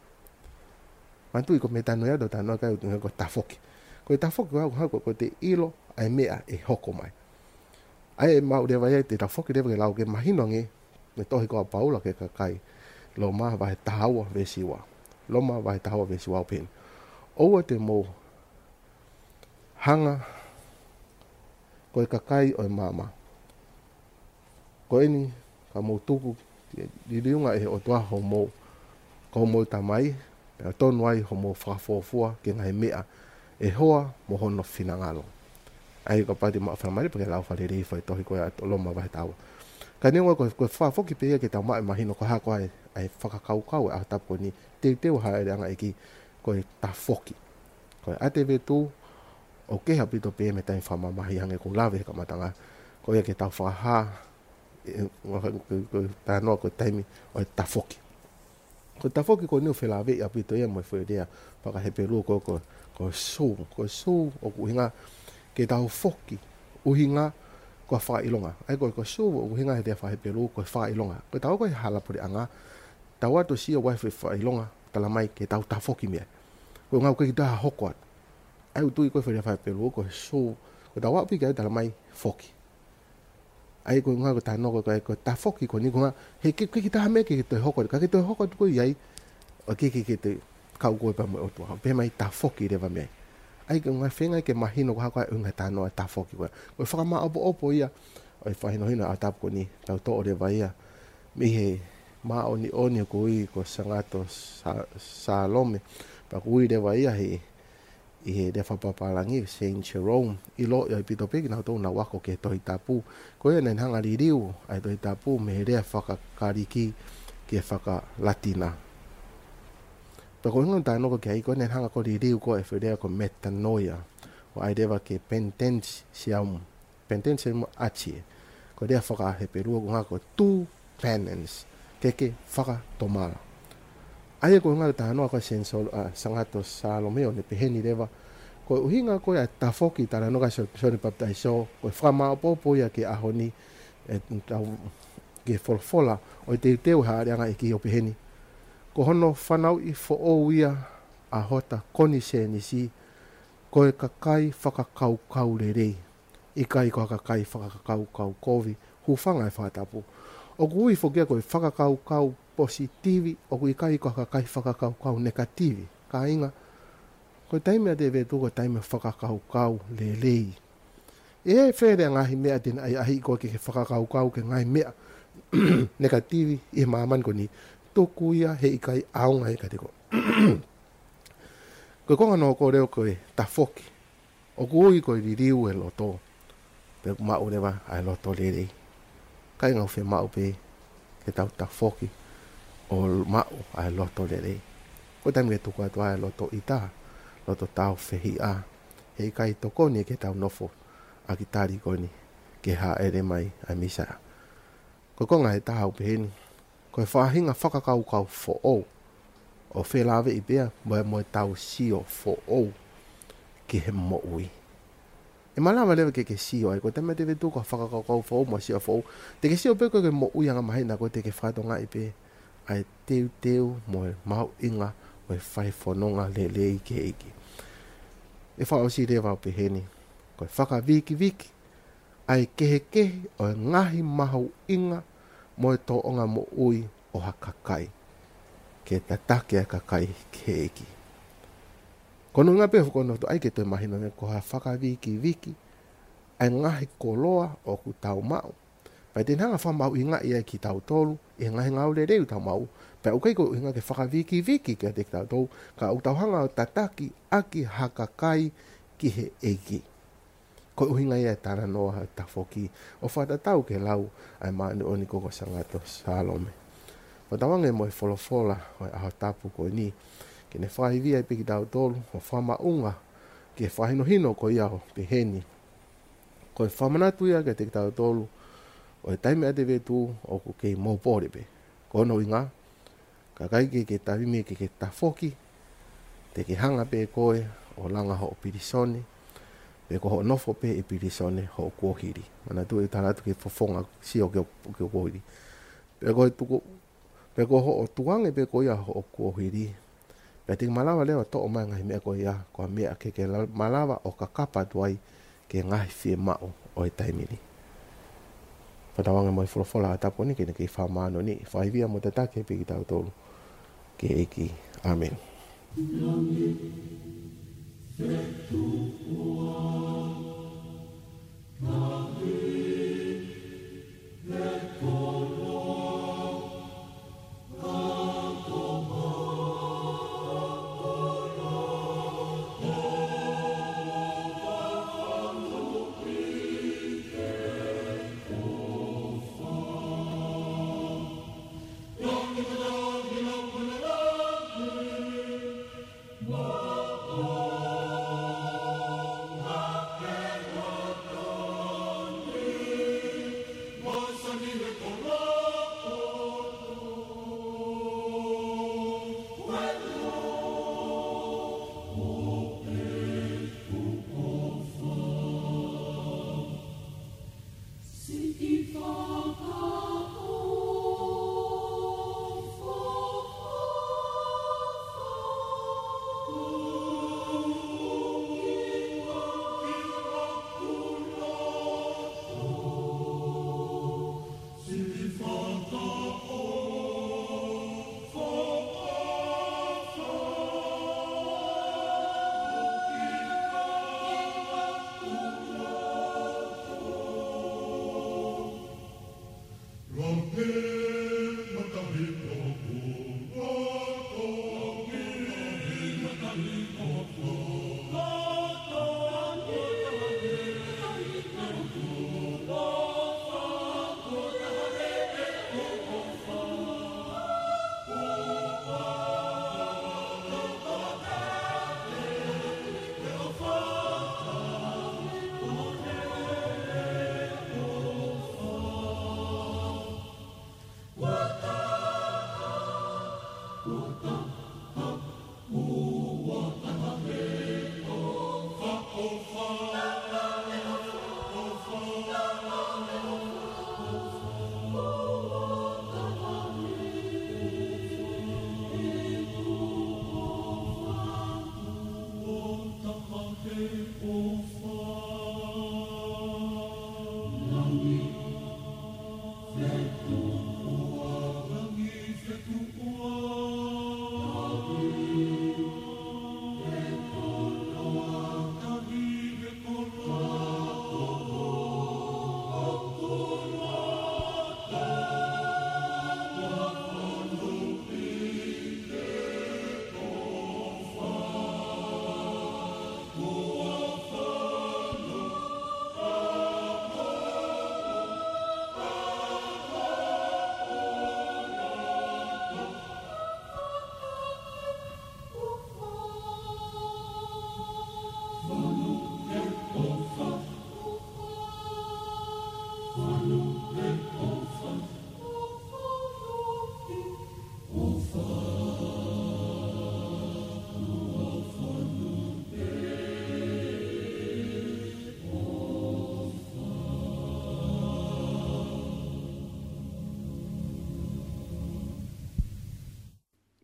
Manatuʻi ko e metanoia ʻoku tau talanoa ki ai ʻoku ʻuhinga ko e tafoki. Ko e tafoki ko e, ko e, ko e te ʻilo ʻa e meʻa ʻe hoko mai. ʻA ia ʻe maʻu leva ia ʻe tafoki leva ke lau ke mahino ange, ʻene tohi ko ē ʻa Paula ki he kakai Loma vahe taha ua veesi ua. Loma vahe taha ua veesi ua ʻoku pehē ni: ʻOua te mou hanga ko e kakai ʻo e maama. Ko eni ka mou tuku ke liliu ange ʻe he ʻOtua homou, ko homou tamai, pea tonu ai homou fakafuofua ki he ngaahi meʻa ʻe hoa mo hono finangalo. ʻA ia kapau te mou fakamanatu pea ke lau fakalelei e foʻi tohi ko ē ʻa Loma vahe taha ua. Ka neongo ko e, ko e fakafoki pē ia ke tau maʻu e mahino ko e hā ko ā e, ʻa e fakakaukau ʻo e ʻaho tapu ko eni, teuteu e hāʻeleʻanga ʻo e ʻEiki, ko e tafoki. Ko e ʻa e veesi ua, ʻoku kehe ʻaupito pē mei he taimi fakamamahi hangē ko ʻeku lave he kamataʻanga, ko ia ke tau fakahā, ē, ko, ko, ko e talanoa ko e taimi ʻo e tafoki. Ko e tafoki ko eni ʻoku felāveʻi ʻaupito ia mo e foʻi lea faka-Hepelū ko, ko, ko e shuv. Ko e shuv ʻoku ʻuhinga ke tau foki, ʻuhinga ko e fakaʻilonga. ʻA ia ko, ko e shuv ʻoku ʻuhinga he lea faka-Hepelū ko e fakaʻilonga. Ko ʻetau ko ē hala puleʻanga, tau ō atu ʻo sio ʻoku ʻi ai e foʻi fakaʻilonga, talamai ke tau tafoki mei ai. Ko e ʻuhinga ʻoku ʻikai ke toe hoko atu. ʻA ia ʻoku tui ko e foʻi lea faka-Hepelū ko e shuv, ko ʻetau aʻu pē ki ai talamai foki. ʻA ia ko e ʻuhinga ko e talanoa ko e, ko e tafoki ko eni ko e ʻuhinga he ʻikai, ʻikai ke toe hoko atu, ka ke toe hoko atu ko ē ʻi ai, ʻoku ʻikai ke, ke toe kau ko ē pea mo e ʻOtua. Pehē mai tafoki leva mei ai. ʻA ia ko e ʻuhinga feinga ke mahino ko e hā ko ā e ʻuhinga e talanoa tafoki ko ē. Ko e fakamāʻopoʻopo ia ʻo e fakahinohino ʻo e ʻaho tapu ko eni, tau toʻo leva ia mei he māʻoniʻoni ʻoku ui ko Sangato Sa-, Salome. Pea ʻoku ui leva ia he, ʻi he lea fakapapālangi, Saint Jerome, ʻiloʻi ʻaupito pē kinautolu naʻa nau ako ki he Tohi Tapu. Ko ia naʻa ne hanga ʻo liliu ʻa e Tohi Tapu mei he lea faka-Kalisi ki he faka-Latina. Pea ko e ʻuhinga ʻoku tau talanoa ki ai ko ē naʻa ne hanga ko ē ʻo liliu ko ē e foʻi lea ko e metanoia, ʻo ʻai leva ki he penitentiam, penitentiam atie. Ko e lea faka-Hepelū ʻoku ʻuhinga ko e to penance, ke ke fakatomala. ʻA ia ko e ʻuhinga e talanoa ko ē ʻa Saint Sol-, ʻa Sangato Salome ʻo ne pehē ni leva, ko e ʻuhinga ko ē ʻa e tafoki, talanoa ki ai ʻa Sione Papitaiso, ko e fakamāʻopoʻopo ia ki he ʻaho ni, ʻetau, ki he folofola ʻo e teuteu e hāʻeleʻanga ʻo e ʻEiki ʻo pehē ni: Ko hono fanauʻi foʻou ia ʻa hota konisēnisi, ko e kakai fakakaukau lelei, ʻikai ko ha kakai fakakaukau kovi. Hūfanga he fakatapu. ʻOku ui foki ia ko e fakakaukau positivi, ʻoku ʻikai ko ha kakai fakakaukau negativi. Kāinga, ko e taimi ʻa e veesi ua ko e taimi fakakaukau lelei. ʻE fēfē e ngaahi meʻa te ne ʻahiʻahiʻi koe ke ke fakakaukau ki he ngaahi meʻa negativi ʻi he māmani ko eni? Tuku ia, he ʻikai ʻaonga ia kiate koe. Ko e konga hono hoko leva ko e tafoki, ʻoku ui ko e liliu e loto, pea ʻoku maʻu leva ʻa e loto lelei. Kāinga, ʻoku fiemaʻu pē ke tau tafoki ʻo maʻu ʻa e loto lelei. Ko e taimi ke tuku atu ai e loto ʻita, loto tāufehiʻa, he ʻikai tokoni ke tau nofo ʻaki e tali ko eni ki he hāʻele mai ʻa e Mīsaia. Ko e konga ʻe taha ʻoku pehē ni: Ko e faʻahinga fakakaukau foʻou ʻoku felāveʻi pē ia mo, mo ʻetau sio foʻou ki he moʻui. ʻE malava leva ke ke sio ai, ko e taimi ʻa e veesi ua ko e fakakaukau foʻou mo e sio foʻou. Te ke sio pē koe ki he moʻui angamaheni ko ē, te ke fakatokangaʻi pē ʻa e teuteu mo e mahuʻinga ʻo e fai fononga lelei ki he ʻEiki. ʻE fakaʻosi leva ʻo pehē ni: Ko e fakavikiviki ʻa e kehekehe ʻo e ngaahi mahuʻinga mo e tōʻonga moʻui ʻo ha kakai. ke tataki ʻa e kakai ki he ʻEiki. Ko hono ʻuhinga pē ʻoku ou fie ʻai ke toe mahino ange ko ha fakavikiviki ʻa e ngaahi koloa ʻoku tau maʻu. Pea te ne hanga ʻo fakamahuʻingaʻi ai kitautolu ʻi he ngaahi ngāue lelei ʻoku tau maʻu. Pea ʻoku ʻikai ko e ʻuhinga ke fakavikiviki kiate kitautolu, ka ʻoku tau hanga ʻo tataki ʻaki ha kakai ki he ʻEiki. Ko e ʻuhinga ia e talanoa ʻo e tafoki, ʻo fakatatau ki he lau ʻa e māʻoniʻoni ko Sangato Salome. Fakatauange mo e folofola ʻo e ʻaho tapu ko eni, ke ne fakaivia pē kitautolu, ʻo fakamaʻunga ki he fakahinohino ko ia ʻoku pehē ni. Ko e fakamanatu ia kiate kitautolu ʻo e taimi ʻa e vetu ʻoku kei mou pole pē. Ko hono ʻuhinga, ka ʻikai ke ke taimi ke ke tafoki, te ke hanga pē koe ʻo langa hoʻo pilīsone, pe ko hoʻo nofo pē ʻi pilīsone hoʻo kuohili. Manatuʻi e tala atu ki he fofonga sio ki hoʻo, ki hoʻo kuohili. Pe ko e tuku, pe ko hoʻo tukuange pē ko ia hoʻo kuohili, pea te ke malava leva ʻo toʻo mai e ngaahi meʻa ko ia, ko e meʻa ke ke la-, malava ʻo kakapa atu ai ki he ngaahi fiemaʻu ʻo e taimi ni. Fakatauange mo e folofola ʻa e ʻaho tapu ni ke ne kei fakamāʻoniʻoniʻi, fakaivia mo tataki pē kitautolu ki he ʻEiki. ʻĀmeni.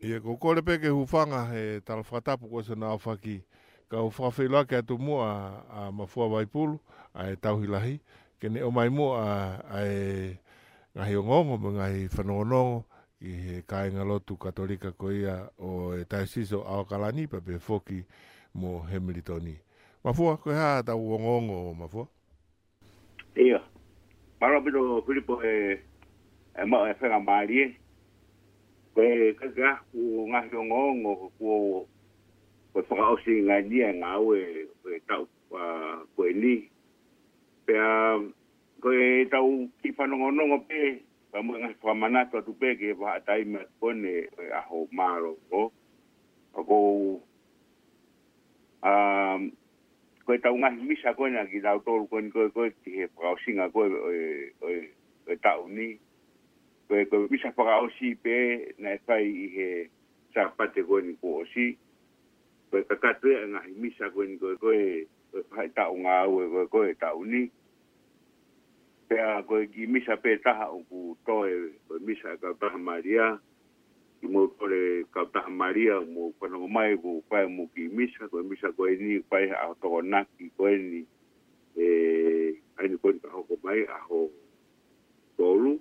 ʻIo, ko e kole pē ke hūfanga he tala fakatapu ko ē ʻoku nau ʻohake, kau fakafeʻiloaki atu muʻa ʻa Mafua Vaipulu, ʻa e tauhi lahi, ke ne ʻomai muʻa ʻa e ngaahi ongoongo mo e ngaahi fanongonongo ʻi he kāingalotu Katolika ko ia ʻo e Taisisi ʻo ʻAokalani pea pehē foki mo Hemilitoni. Mafua, ko e hā ʻetau ongoongo, Mafua? ʻIo. Mālō ʻaupito Filipo e, e maʻu e faingamālie. Ko e, ko e, ko e ngaahi ongoongo ko, ko e fakaʻosi ngai ni e ngāue ko e taʻu, ʻa, ko eni. Pea ko ʻetau kiʻi fanongonongo pē, pea mo e ngaahi fakamanatu atu pē ki he vahaʻa taimi atu ko eni ʻo e ʻaho mālōlō. ʻA ko, ʻa, ko ʻetau ngaahi misa ko eni ʻa kitautolu ko eni ko e, ko e ki he fakaʻosinga ko e, ʻo e, ʻo e, ʻo e taʻu ni. Ko e, ko e misa fakaʻosi pē naʻe fai ʻi he Sāpate ko eni kuo ʻosi. Ko e kakato ia e ngaahi misa ko eni ko e, ko e, ko e faʻahitaʻu ngāue ko e, ko e taʻu ni. Pea ko e kiʻi misa pē taha ʻoku toe, ko e misa ʻa e Kautaha Malia. Kimuʻa ʻoku toe Kautaha Malia, mou fanongo mai, ʻoku fai mo e kiʻi misa, ko e misa ko eni, fai he ʻaho Tokonaki ko eni, ʻe, ʻa eni ko eni ka hoko mai, ʻaho tolu.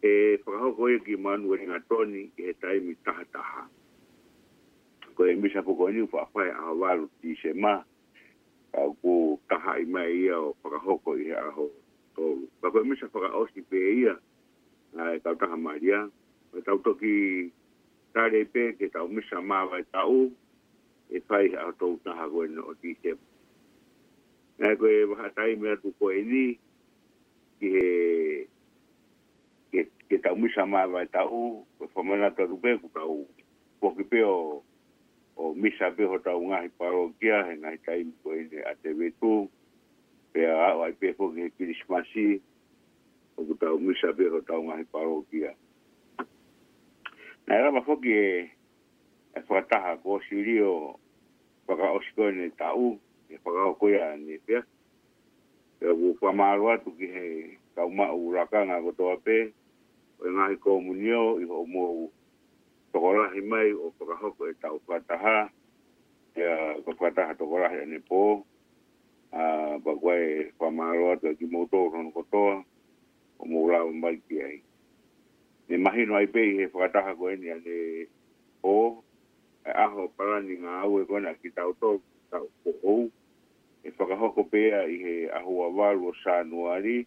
ʻE fakahoko ia ki Manuelingatoni ʻi he taimi taha taha. Ko e misa foki ko eni ʻoku faʻa fai he ʻaho valu Tīsema, ka ʻoku tahaʻi mai ia ʻo fakahoko ʻi he ʻaho tolu. Ka ko e misa fakaʻosi pē ia, ʻa e Kautaha Malia, ʻo tau toki tali pē ki heʻetau misa māvae taʻu, ʻe fai he ʻaho tolu taha ko eni ʻo Tīsema. Naʻe ko e vahaʻa taimi atu ko eni, ki he, ki he, ki heʻetau misa māvae taʻu, ko e fakamanatu atu pē ʻoku tau foki pē ʻo, ʻo misa pē hotau ngaahi palokia, he ngaahi taimi ko eni ʻa Tevetu, pea aʻu ai pē foki he Kilisimasi, ʻoku tau misa pē hotau ngaahi palokia. Naʻe lava foki e, e fakataha ko Silio fakaʻosi ko eni taʻu, ʻe fakahoko ia ʻanepō. Pea ʻoku fakamālō atu ki he kau maʻu lakanga kotoa pē, ʻo e ngaahi komunio ʻi hoʻomou tokolahi mai ʻo fakahoko ʻetau fakataha, ʻa e fakataha tokolahi ʻanepō, ʻa, pea ko e fakamālō atu kimoutolu hono kotoa, ʻoku mou lava mai ki ai. Ne mahino ai pē ʻi he fakataha ko eni ʻanepō, e ʻaho palani ngāue ko ena kitautolu, taʻu foʻou, ʻe fakahoko pē ia ʻi he ʻaho ua valu ʻo Sānuali,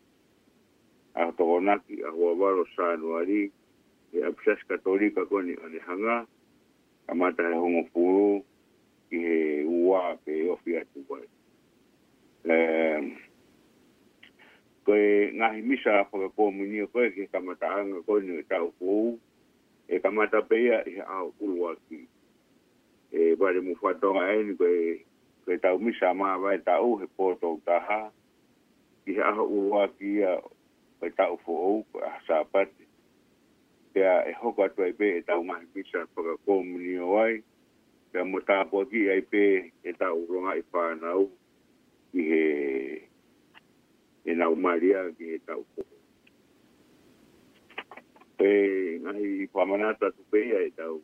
ʻaho Tokonaki, ʻaho ua valu ʻo Sānuali, ʻi he ʻapisiasi Katolika ko eni ʻAnehanga, kamata he hongofulu ki he ua pea ofi atu ai. Em, ko e ngaahi misa fakakomunio ko e ki he kamataʻanga ko eni ʻo e taʻu foʻou, ʻe kamata pē ia ʻi he ʻaho ʻuluaki. ʻE vale mo fatongia eni ko e, ko ʻetau misa māvae taʻu he pō tolu taha, ʻi he ʻaho ʻuluaki ia ʻo e taʻu foʻou, ko e ʻaho Sāpate. Pea ʻe hoko atu ai pē ʻetau ngaahi misa fakakomunio ai, pea mo tāpuakiʻi ai pē ʻetau longaʻi fānau ʻi he, ʻenau malia ki he taʻu foʻou. Pea ngaahi fakamanatu atu pē ia ʻetau,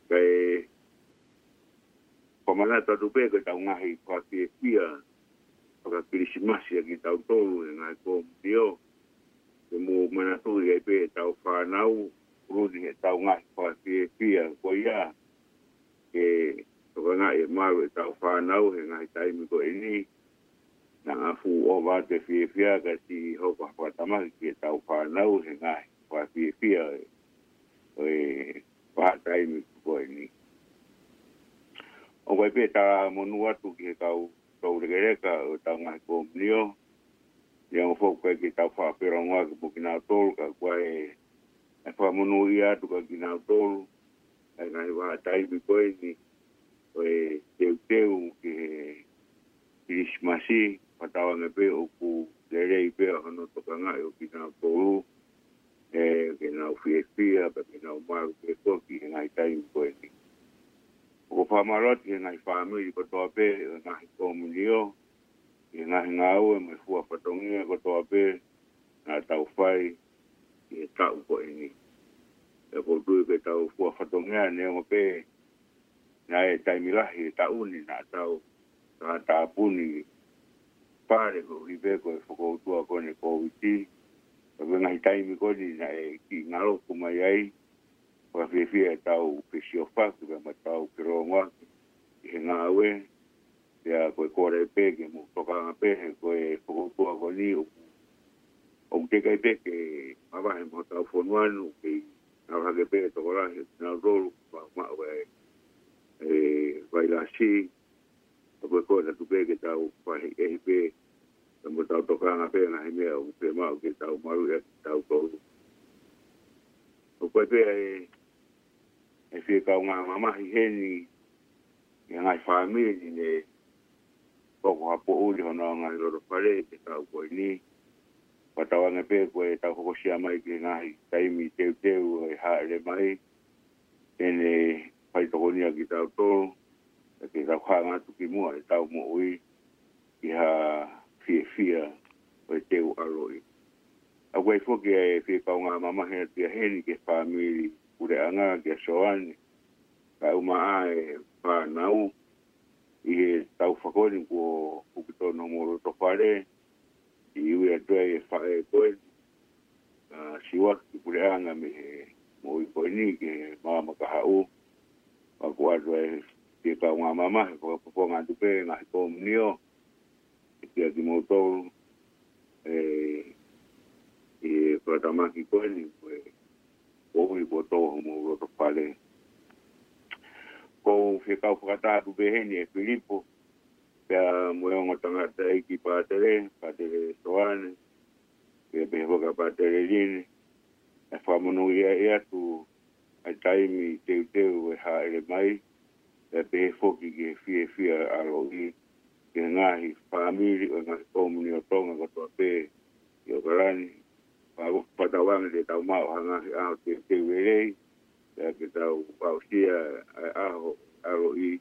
pea fakamanatu atu pē ko ʻetau ngaahi fakafiefia fakakilisimasi ʻa kitautolu he ngaahi komunio. Ke mou manatuʻi ai pē ʻetau fānau, ʻoku ʻi ai ʻetau ngaahi fakafiefia ko ia, ke tokangaʻi e malu ʻetau fānau he ngaahi taimi ko eni. Naʻa fuʻu ʻova atu e fiefia ka ti hoko ha fakatamaki ki heʻetau fānau he ngaahi fakafiefia ʻo e, ʻo e vahaʻa taimi ko eni. ʻOku ʻi ai pē talamonū atu ki he kau toulekeleka ʻo ʻetau ngaahi komunio. Neongo foki ʻoku ʻikai ke tau fakapelongoaki mo kinautolu, ka ʻoku ʻi ai e fakamonūʻia atu kia kinautolu, ʻa e ngaahi vahaʻa taimi ko eni, ʻo e teuteu ki he Kilisimasi, fakatauange pē ʻoku lelei pē hono tokangaʻi ʻo kinautolu, ʻe, ke nau fiefia, pea ke nau malu pē foki he ngaahi taimi ko eni. ʻOku fakamālō atu ki he ngaahi fāmili kotoa pē, ʻo e ngaahi komunio, ʻi he ngaahi ngāue mo e fua fatongia kotoa pē naʻa tau fai ʻi he taʻu ko eni. ʻOku ou tui ko ʻetau fua fatongia neongo pē naʻe taimi lahi e taʻu ni naʻa tau tātāpuni fale koeʻuhi pē ko e fokoutua ko eni Kōviti. Ka ko e ngaahi Taimi ko eni naʻe kiʻi ngalo atu mai ai, fakafiefia ʻetau fesiofaki, pea mo ʻetau felōngoaki ʻi he ngāue, pea ko e kole pē ke mou tokanga pē, he ko e fokoutua ko eni ʻoku, ʻoku teʻeki ai pē ke mavahe mo hotau fonua ni, ʻoku kei ngalo hake pē e tokolahi ʻo kinautolu, ma, ma, e, e, vailasi, ʻa ko e ko e tatu pē ke tau fakaʻehiʻehi pē, pea mo tau tokanga pē ngaahi meʻa ʻoku fiemaʻu ke tau maluʻi ʻaki kitautolu. ʻOku ʻi ai pē e, e fie kaungā mamahi heni, ʻi he ngaahi fāmili ne hoko ha poʻuli hono ngaahi loto fale he taʻu ko eni. Fakatauange pē ko e tau hokosia mai ki he ngaahi taimi teuteu ʻe hāʻele mai, te ne fai tokonia kitautolu, ke tau hanga atu ki muʻa ʻetau moʻui, ʻi ha fiefia ʻo e teu ʻaloʻi. ʻOku ʻi ai foki e fie kaungā mamahi atu ia heni ki he fāmili puleʻanga kia Soane, kae ʻumaʻā e fānau, ʻi he taʻu ko eni kuo hoko tonu homou loto fale, ʻi ui atu ai e faʻē ko eni, ʻa Siuaki Puleʻanga mei he moʻui ko eni ki he maama kahaʻu, ʻoku ʻoatu ai e fie kaungā mamahi, fakapoponga atu pē ngaahi komunio, ʻe kia kimoutolu, e, ʻi he fakatamaki ko eni, ko e, ko ui ko tō homou loto fale. ʻOku ou fie kau fakataha atu pē heni ʻe Filipo, pea mo e ongo tangataʻeiki Pātele, Pātele Soane, pea pehē foki ʻa Pātele Line, ʻe fakamonūʻia atu ʻa e taimi teuteu ʻe hāʻele mai, pea pehē foki ki he fiefia ʻaloʻi, ki he ngaahi fāmili ʻo e ngaahi komunio Tonga kotoa pē ʻi ʻOkalani. Faka-, fakatauange te tau maʻu ha ngaahi ʻaho teuteu lelei, pea ke tau aʻusia ʻa e ʻaho ʻaloʻi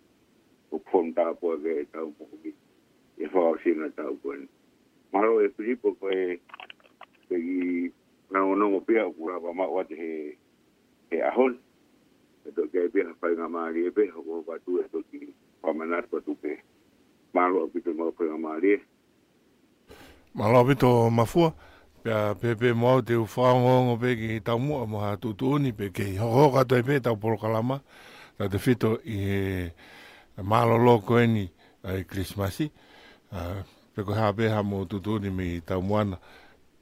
ʻoku fonu tāpuaki ai ʻetau moʻui. ʻI he fakaʻosinga ʻo e taʻu ko eni. Mālō ʻe Filipo ko e, ko e kiʻi fanongonongo pē ia ʻoku lava maʻu atu he, he ʻaho ni. Pea toki ʻi ai pē ha faingamālie pē, hokohoko atu ʻe toki fakamanatu atu pē. Mālō ʻaupito mo e faingamālie. Mālō ʻaupito Mafua, pea pehē pē mo au te u fakaongoongo pē ki he taumuʻa mo ha tuʻutuʻuni pea kei hokohoko atu ai pē ʻetau polokalama, tautefito ʻi he mālōlō ko eni ʻa e Kilisimasi, ʻa, pe ko e hā pē haʻamou tuʻutuʻuni mei taumuʻa na,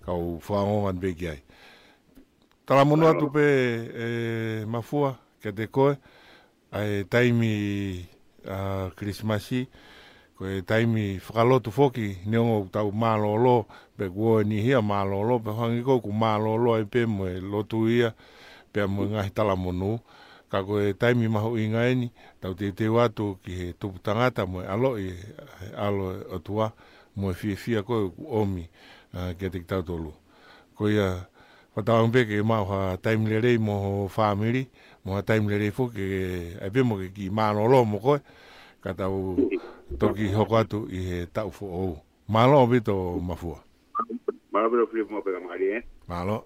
kau fakaongoongo atu pē ki ai. Talamonū atu pē, ʻe Mafua, kiate koe, ʻa e taimi, ʻa, Kilisimasi, ko e taimi fakalotu foki, neongo ʻoku tau mālōlō, pe kuo ʻi ai e niʻihi ʻoku mālōlō, pea hangē ko ʻeku mālōlō ai pē mo e lotu ia, pea mo e ngaahi talamonū. Ka ko e taimi mahuʻinga eni, tau teuteu atu ki he tupu tangata mo e ʻaloʻi, ʻa e ʻAlo ʻo e ʻOtua, mo e fiefia ko ē ʻoku ʻomi, ʻa, kiate kitautolu. Ko ia, fakatauange pē ke maʻu ha taimi lelei mo ho fāmili, mo ha taimi lelei foki ke, ʻai pē mo ke kiʻi mālōlō mo koe, ka tau toki hoko atu ʻi he taʻu foʻou. Mālō ʻaupito Mafua. Mālō ʻaupito Filipo mo e faingamālie, ē? Mālō.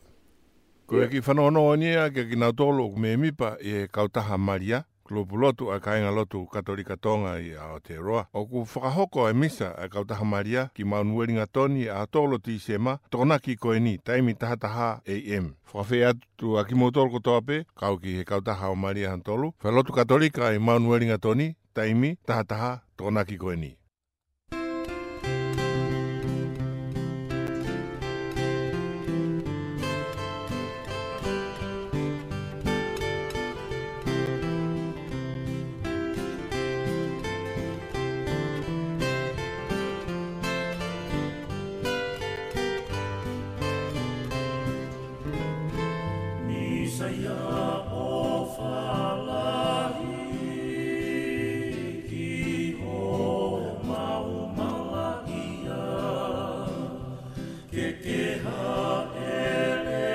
Ko e kiʻi fanongonongo eni ia kiate kinautolu ʻoku mēmipa ʻi he Kautaha Malia, kulupu lotu ʻa e Kāingalotu Katolika Tonga ʻi Aotearoa. ʻOku fakahoko e misa ʻa e Kautaha Malia ki Mount Wellington ʻi he ʻaho tolu Tīsema, Tokonaki ko eni, taimi taha taha A M. Fakafeʻiloaki atu ʻa kimoutolu kotoa pē, kau ki he Kautaha ʻo Malia hono tolu, Falelotu Katolika ʻi Mount Wellington, taimi taha taha Tokonaki ko eni. Misa ia ʻofa lahi ki homau malaʻia, ke ke hāʻele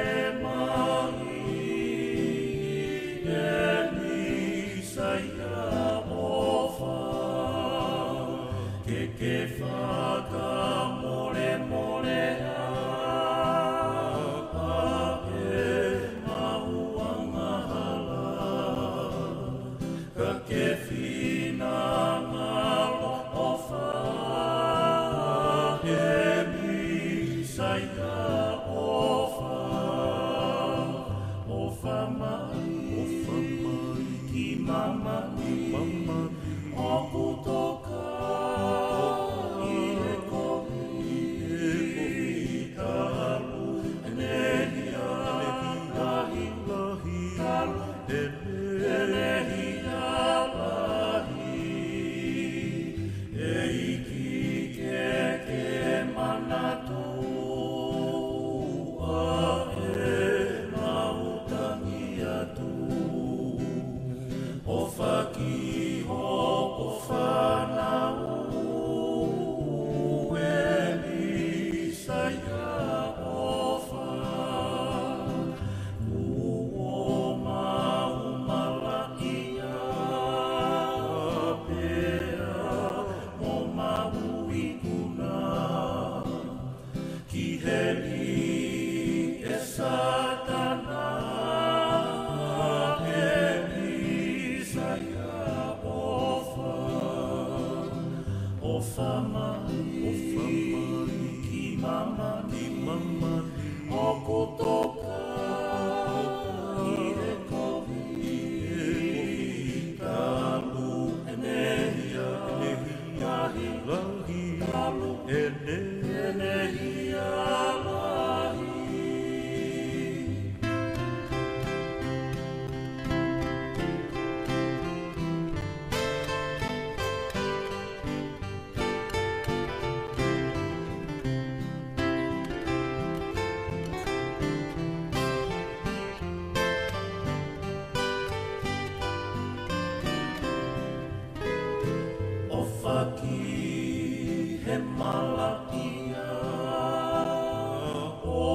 mai ʻe Misa ia ʻofa, ke ke fakamolemole ʻa e mau angahala, ka ke finangalo ʻofa ʻe Misa ia ʻofa. ʻE Sātana, ʻe Mīsaia ʻofa, ʻofa mai, ʻofa mai ki māmani, ki māmani, ʻoku toka ʻi he kovi, ʻi he kovi, talu ʻene hia, ʻene hia lahi, lahi, talu ʻene, ʻene hia lahi. ʻOfa ki he malaʻia ʻo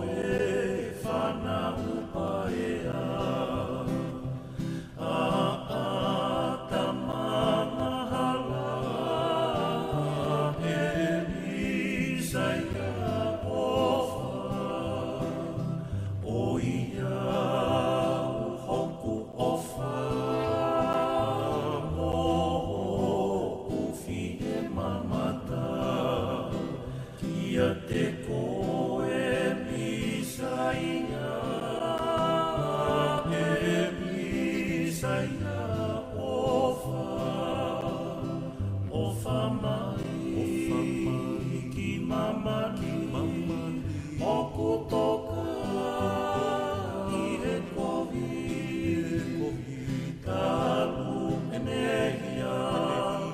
e fānau paea, ʻa ʻĀtama angahala, ʻe Mīsaia ʻofa, ʻoiauē hoku ʻofa mo hoku fiemāmata kiate koe Mīsaia, ʻe Mīsaia ʻofa, ʻofa mai, ʻofa mai ki māmani, ki māmani, ʻoku toka ʻi he kovi, ʻi he kovi, talu ʻene hia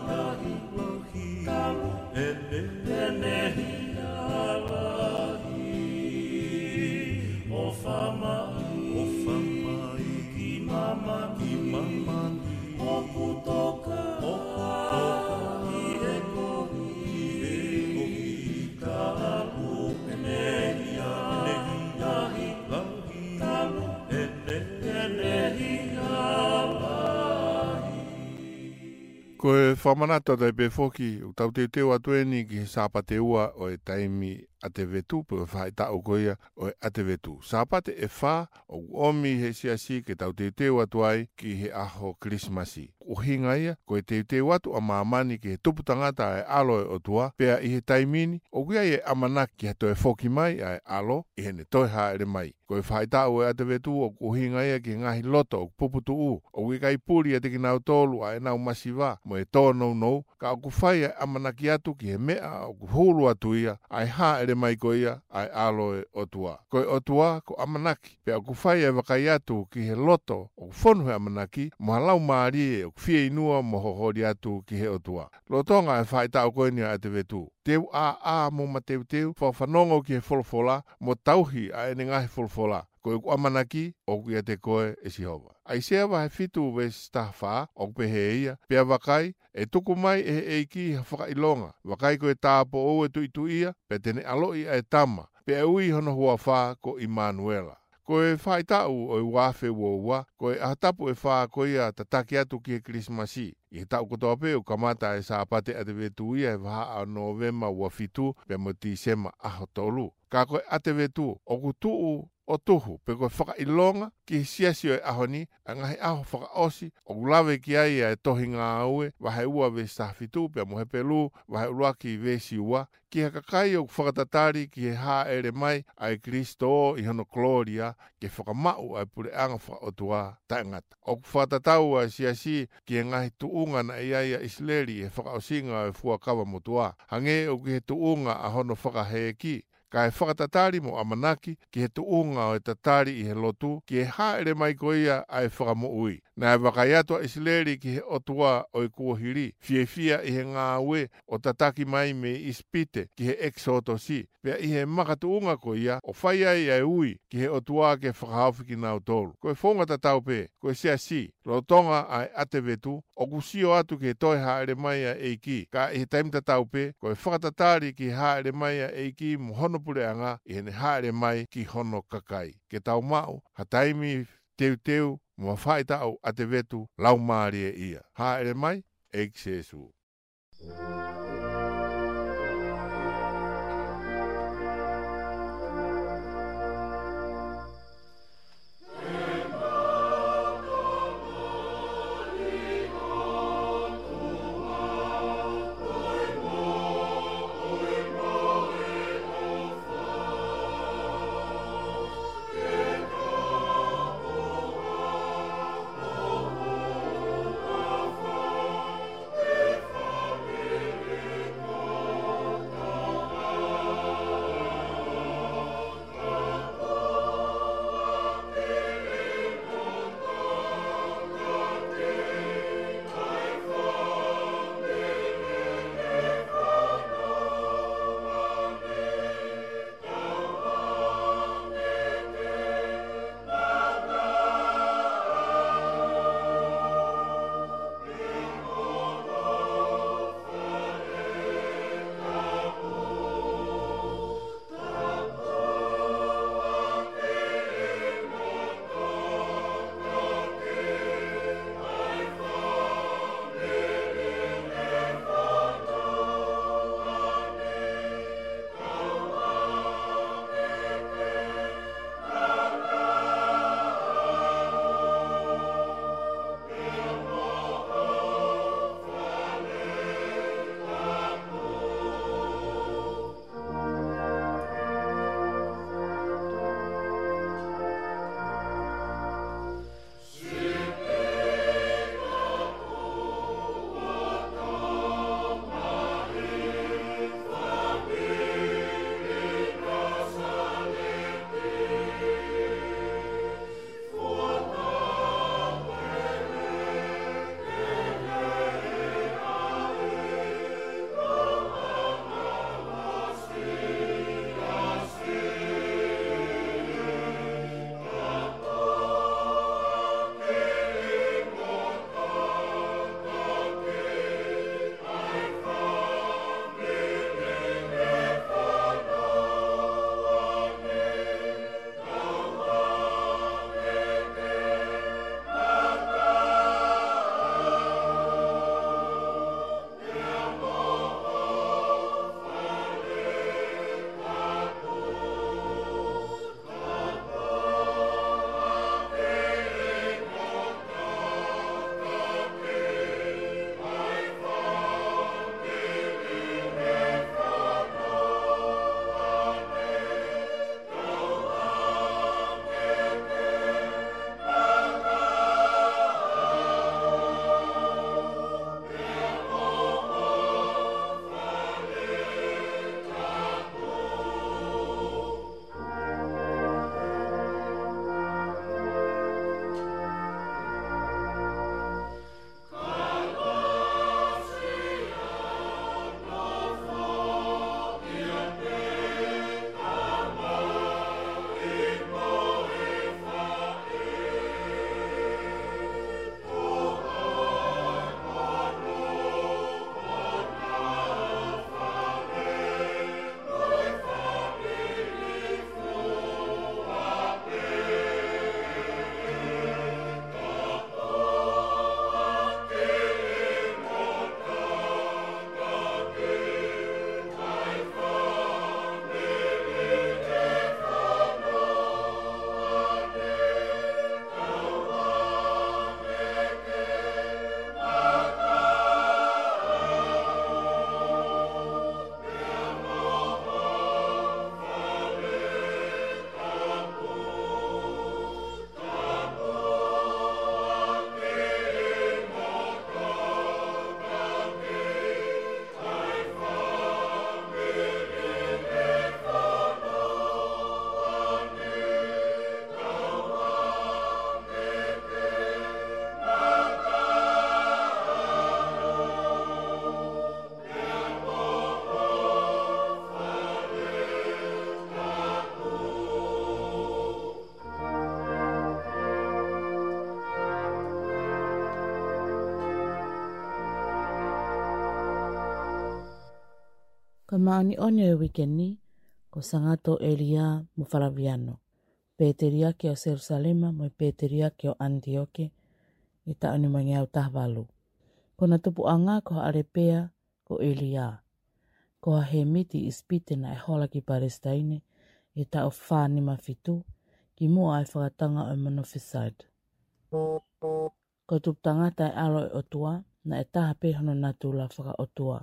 lahi, lahi, talu ʻene, ʻene hia lahi. ʻOfa mai, ʻofa mai ki māmani, ki māmani, ʻoku toka, ʻoku toka ʻi he kovi, ʻi he kovi, talu ʻene hia, ʻene hia lahi, lahi, talu ʻene, ʻene hia lahi. Ko e fakamanatu atu ai pē foki, ʻoku tau teuteu atu eni ki he Sāpate ua ʻo e taimi ʻAtevetu, pe ko e faʻahitaʻu ko ia ʻo e ʻAtevetu. Sāpate ʻe fā ʻoku ʻomi ʻe he Siasi ke tau teuteu atu ai ki he ʻaho Kilisimasi. ʻUhinga ia, ko e teuteu atu ʻa māmani ki he tupu tangata ʻa e ʻAlo ʻo e ʻOtua, pea ʻi he taimi ni, ʻoku ʻi ai e ʻamanaki ki he toe foki mai ʻa e ʻAlo, ʻi heʻene toe hāʻele mai. Ko e faʻahitaʻu ʻo e ʻAtevetu ʻoku ʻuhinga ia ki he ngaahi loto ʻoku puputuʻu, ʻoku ʻikai puli ʻiate kinautolu ʻa ʻenau masiva mo e tōnounou, ka ʻoku fai ʻa e ʻamanaki atu ki he meʻa ʻoku hulu atu ia, ʻa e hāʻele mai ko ia ʻa e ʻAlo ʻo e ʻOtua. Ko e ʻOtua ko ʻamanaki, pea ʻoku fai ʻa e vakai atu ki he loto ʻoku fonu he ʻamanaki, mo ha laumālie ʻoku fieinua mo holi atu ki he ʻOtua. Lolotonga e faʻahitaʻu ko eni ʻa e ʻAtevetu, te u ʻāʻā mo mateuteu, fakafanongo ki he folofola, mo tauhi ʻa ʻene ngaahi folofola. Ko ʻeku ʻamanaki ʻoku ʻiate koe ʻe Sihova. ʻAisea vahe fitu veesi taha fā, ʻoku pehē ia, pea vakai, ʻe tuku mai ʻe he ʻEiki ha fakaʻilonga, vakai ko e tāupoʻou ʻe tuʻituʻia, pea te ne ʻaloʻi ʻa e tama, pea ʻe ui hono huafa ko ʻImanuela. Ko e faʻahitaʻu ʻo e ua afe ua ua, ko e ʻaho tapu ʻe fā ko ia tataki atu ki he Kilisimasi. ʻI he taʻu kotoa pē ʻoku kamata e Sāpate ʻAtevetu ia he vahaʻa ʻo Nōvema ua fitu pea mo Tīsema ʻaho tolu. Ka ko e ʻAtevetu, ʻoku tuʻu ʻo tuhu, pe ko e fakaʻilonga ki he siasi ʻo e ʻaho ni, ʻa e ngaahi ʻaho fakaʻosi, ʻoku lave ki ai ʻa e tohi Ngāue, vahe ua veesi taha fitu, pea mo Hepelū, vahe ʻuluaki veesi ua, ki he kakai ʻoku fakatatali ki he hāʻele mai ʻa e Kilisitō ʻi hono kolōlia ke fakamaʻu ʻa e puleʻanga fakaʻotua taʻengata. ʻOku fakatatau ʻa e siasi ki he ngaahi tuʻunga naʻe ʻi ai ʻa ʻIsileli ʻi he fakaʻosinga ʻo e Fuakava Motuʻa. Hangē ʻoku ʻi he tuʻunga ʻa hono fakahēʻi, kae fakatatali mo ʻamanaki ki he tuʻunga ʻo e tatali ʻi he lotu, ki he hāʻele mai ko ia ʻa e Fakamoʻui. Naʻe vakai atu ʻa ʻIsileli ki he ʻOtua ʻo e kuohili, fiefia ʻi he ngāue ʻo tataki mai mei ʻIsipite ki he ʻEkisotosi, pea ʻi he makatuʻunga ko ia ʻo fai ai ʻa e ui ki he ʻOtua ke fakahaofi kinautolu. Ko e founga tatau pē, ko e siasi, lolotonga ʻa e ʻAtevetu, ʻoku sio atu ki he toe hāʻele mai ʻa e ʻEiki, ka ʻi he taimi tatau pē, ko e fakatatali ki he hāʻele mai ʻa e ʻEiki mo hono puleʻanga ʻi heʻene hāʻele mai ki hono kakai. Ke tau maʻu ha taimi teuteu mo ha faʻahitaʻu ʻAtevetu laumālie ia. Hāʻele mai, ʻEiki Sīsū. Māʻoniʻoni ʻo e uike ni, ko Sangato ʻElia mo Falaviano, pēteliake ʻo Selusalema mo e pēteliake ʻo ʻAnitioke, ʻi he taʻu nimangeau taha valu. Ko ʻena tupuʻanga ko ha ʻalepea ko ʻElia, ko ha hēmiti ʻi ʻIsipite naʻe hola ki Palesitaine ʻi he taʻu fā nima fitu, kimuʻa ʻa e fakatanga ʻo e Monofisite. Ko e tupu tangata ʻa e ʻAlo ʻo e ʻOtua, naʻe taha pē hono natula fakaʻotua,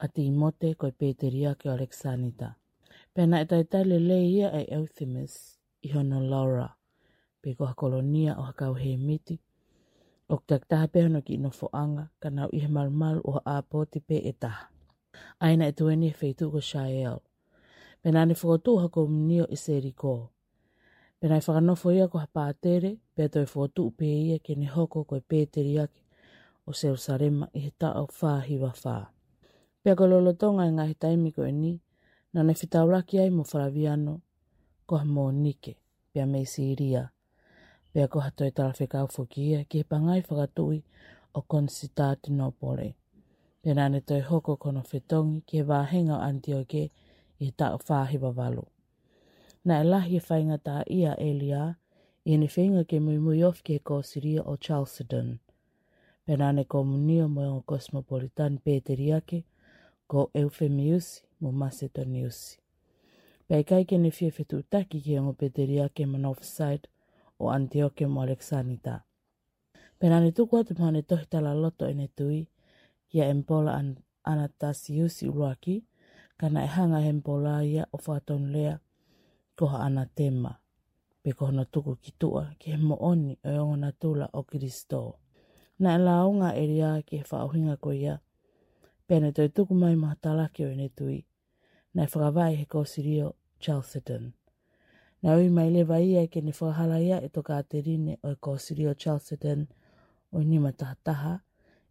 ʻa Tīmote ko e pēteliake ʻo ʻAlekisanita. Pea naʻe talitali lelei ia ʻe Eusebius ʻi hono laora, pe ko ha kolonia ʻo ha kau hēmiti, ʻoku takitaha pē hono kiʻi nofoʻanga, ka nau ʻi he malumalu ʻo ha ʻāpoti pē ʻe taha, ʻa ia naʻe tuʻu ʻi he feituʻu ko Siaeli. Pea naʻa ne fokotuʻu ha komunio ʻi Seliko. Pea naʻe fakanofo ia ko ha pātele, pea toe fokotuʻu pē ia ke ne hoko ko e pēteliake ʻo Selusalema ʻi he taʻu fā hiva fā. Pea ko e lolotonga e ngaahi taimi ko eni, naʻa ne fetaulaki ai mo Falaviano, ko ha Mōnike, pea mei Sīlia, pea ko ha toe talafekau foki ia ki he pangai fakatuʻi ʻo Konisitatinopole. Pea naʻa ne toe hoko ko hono fetongi ki he vāhenga ʻo ʻAnitioke ʻi he taʻu fā hiva valu. Naʻe lahi e faingataʻaʻia ʻa ʻElia ʻi heʻene feinga ke muimui ofi ki he kōsilio ʻo Chalcedon. Pea naʻa ne komunio mo e ongo kosimopolitani pēteliake ko ʻEufemiusi mo Masetoniusi. Pea ʻikai ke ne fie fetuʻutaki ki he ongo pēteliake Monofisite ʻo ʻAnitioke mo ʻAlekisanita. Pea naʻa ne tuku atu mo haʻane tohi talaloto ʻene tui kia ʻEmipola An-, ʻAnatasiusi ʻUluaki, ka naʻe hanga ʻe he ʻemipola ia ʻo fakatonulea ko ha ʻanatema, pe ko hono tuku ki tuʻa ki he moʻoni ʻo e ongo natula ʻo Kilisitō. Naʻe lāunga ʻa ʻElia ki he fakaʻuhinga ko ia, pea ne toe tuku mai mo ha talaki ʻo ʻene tui, naʻe fakavaʻe he kōsilio Chalcedon. Naʻe ui mai leva ia ke ne fakahalaia e tokāteline ʻo e kōsilio Chalcedon ʻo e nima taha taha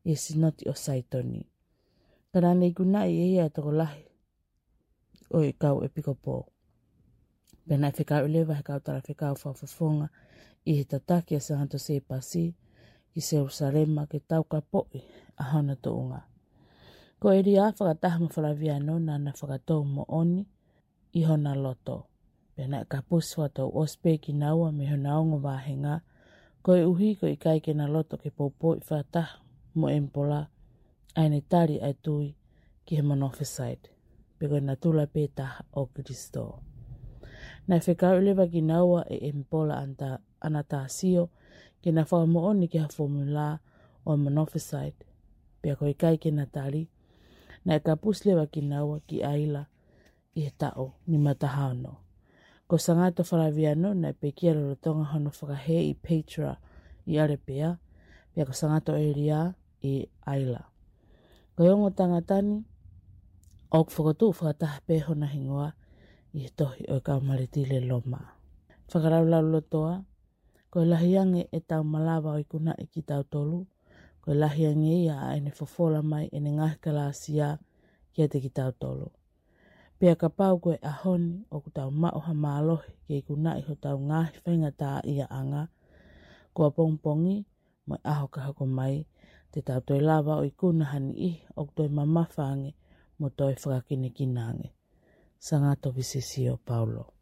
ʻi he Sinoti ʻo Saitoni. Ka naʻa ne ikunaʻi ʻe ia e tokolahi ʻo e kau ʻepikopō. Pea naʻe fekauʻi leva he kau talafekau fakafofonga ʻi he tataki ʻa Sangato Sēpasi ki Selusalema ke taukapoʻi ʻa hono tuʻunga. Ko ʻElia fakataha mo Falaviano naʻa na fakatou moʻoni ʻi hona loto. Pea naʻe kapusi fakatou ʻosi pē kinaua mei hona ongo vāhenga, koeʻuhi ko e ʻikai ke na loto ke poupouʻi fakataha mo ʻEmipola ʻa ʻene tali ʻa e tui ki he Monofisite, pe ko e natula pē taha ʻo Kilisitō. Naʻe fekauʻi leva kinaua ʻe ʻEmipola Anata-, ʻAnatasio ke na fakamoʻoni ki ha fomula ʻo e Monofisite, pea ko e ʻikai ke na tali, naʻe kapusi leva kinaua ki ʻAila ʻi he taʻu nima taha ono. Ko Sangato Falaviano naʻe pekia lolotonga hono fakahēʻi Petra ʻi ʻAlepea, pea ko Sangato ʻElia ʻi ʻAila. Ko e ongo tangata ni, ʻoku fokotuʻu fakataha pē hona hingoa ʻi he tohi ʻo e kau Mālētile Loma. Fakalaulaulotoa, ko e lahi ange ʻetau malava ʻo ikunaʻi kitautolu, ko e lahi ange ia ʻa ʻene fofola mai ʻene ngaahi kalāsia kiate kitautolu. Pea kapau ko e ʻaho ni ʻoku tau maʻu ha mālohi ke ikunaʻi hotau ngaahi faingataʻaʻiaʻanga, ko ʻapongipongi mo e ʻaho ka hoko mai, te tau toe lava ʻo ikuna ha niʻihi ʻoku toe mamafa ange mo toe fakakinakina ange. Sangato Visisio Paulo.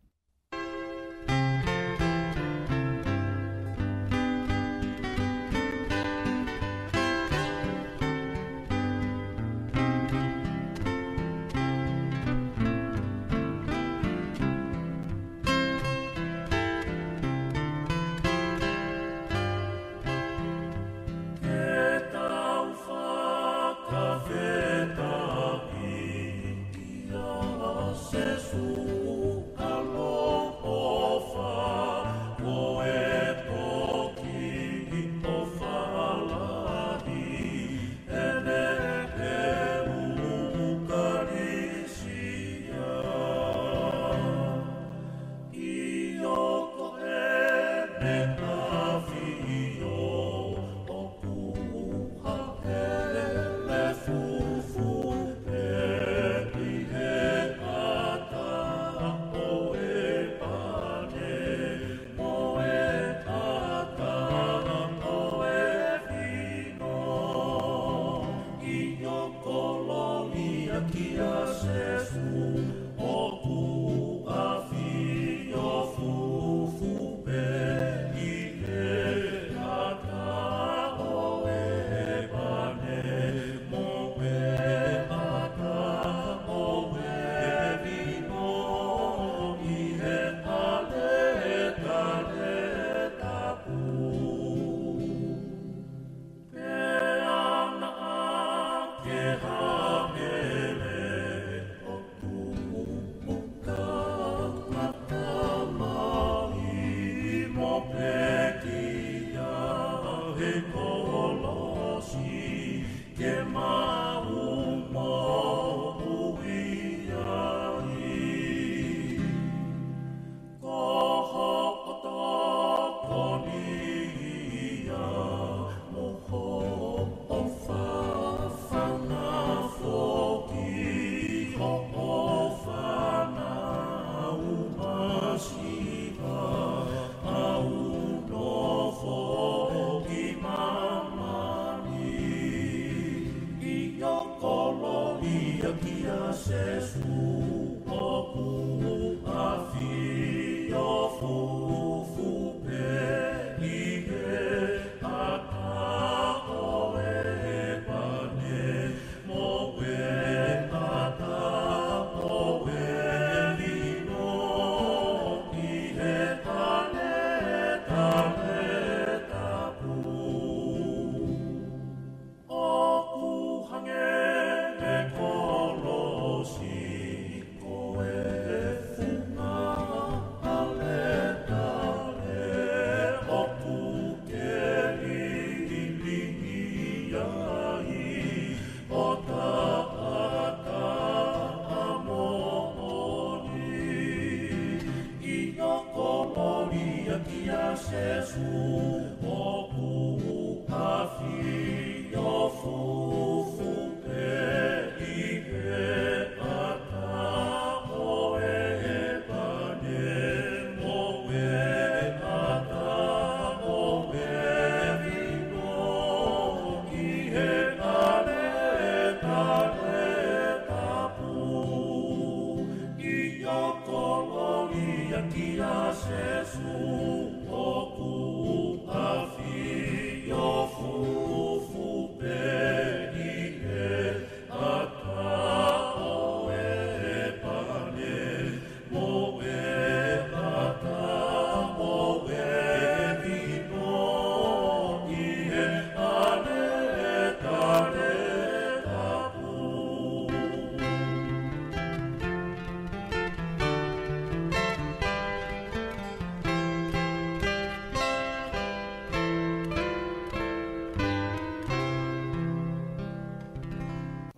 Kia Sēsū ʻoku ʻafio fufū pē ʻi he ʻata ʻo e pane mo e ʻata ʻo e vino ʻi he ʻaletale tapu. ʻIo, kolōlia kia Sēsū ʻoku ʻafio fufū pē ʻi he ʻata ʻo e pane mo e ʻata ʻo e vino ʻi he ʻaletale tapu.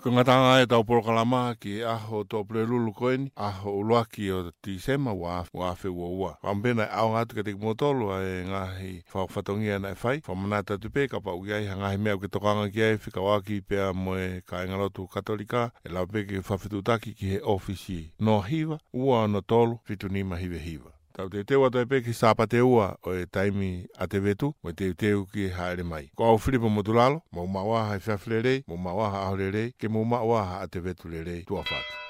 Ko e ngataʻanga ʻetau polokalama ki he ʻaho Tuʻapulelulu ko eni, ʻaho ʻuluaki ʻo Tīsema ua, ua afe ua ua. Fakamālō pē naʻe ʻaonga atu kiate kimoutolu ʻa e ngaahi fakafatongia naʻe fai, fakamanatu atu pē kapau ʻoku ʻi ai ha ngaahi meʻa ʻoku ke tokanga ki ai fekauʻaki pea mo e kāingalotu Katolika, ʻe lava pē ke fakafetuʻutaki ki he ʻōfisi noa hiva, ua ono tolu, fitu nima hiva hiva. Tau teuteu atu ai pē ki he Sāpate ua ʻo e taimi ʻa Tevetu, mo e teuteu ki he hāʻele mai. Ko au Filipo Motulalo, mou maʻu ā ha efiafi lelei, mou maʻu ā ha ʻaho lelei, ke mou maʻu ā ha ʻa Tevetu lelei, tuʻa ʻofa atu.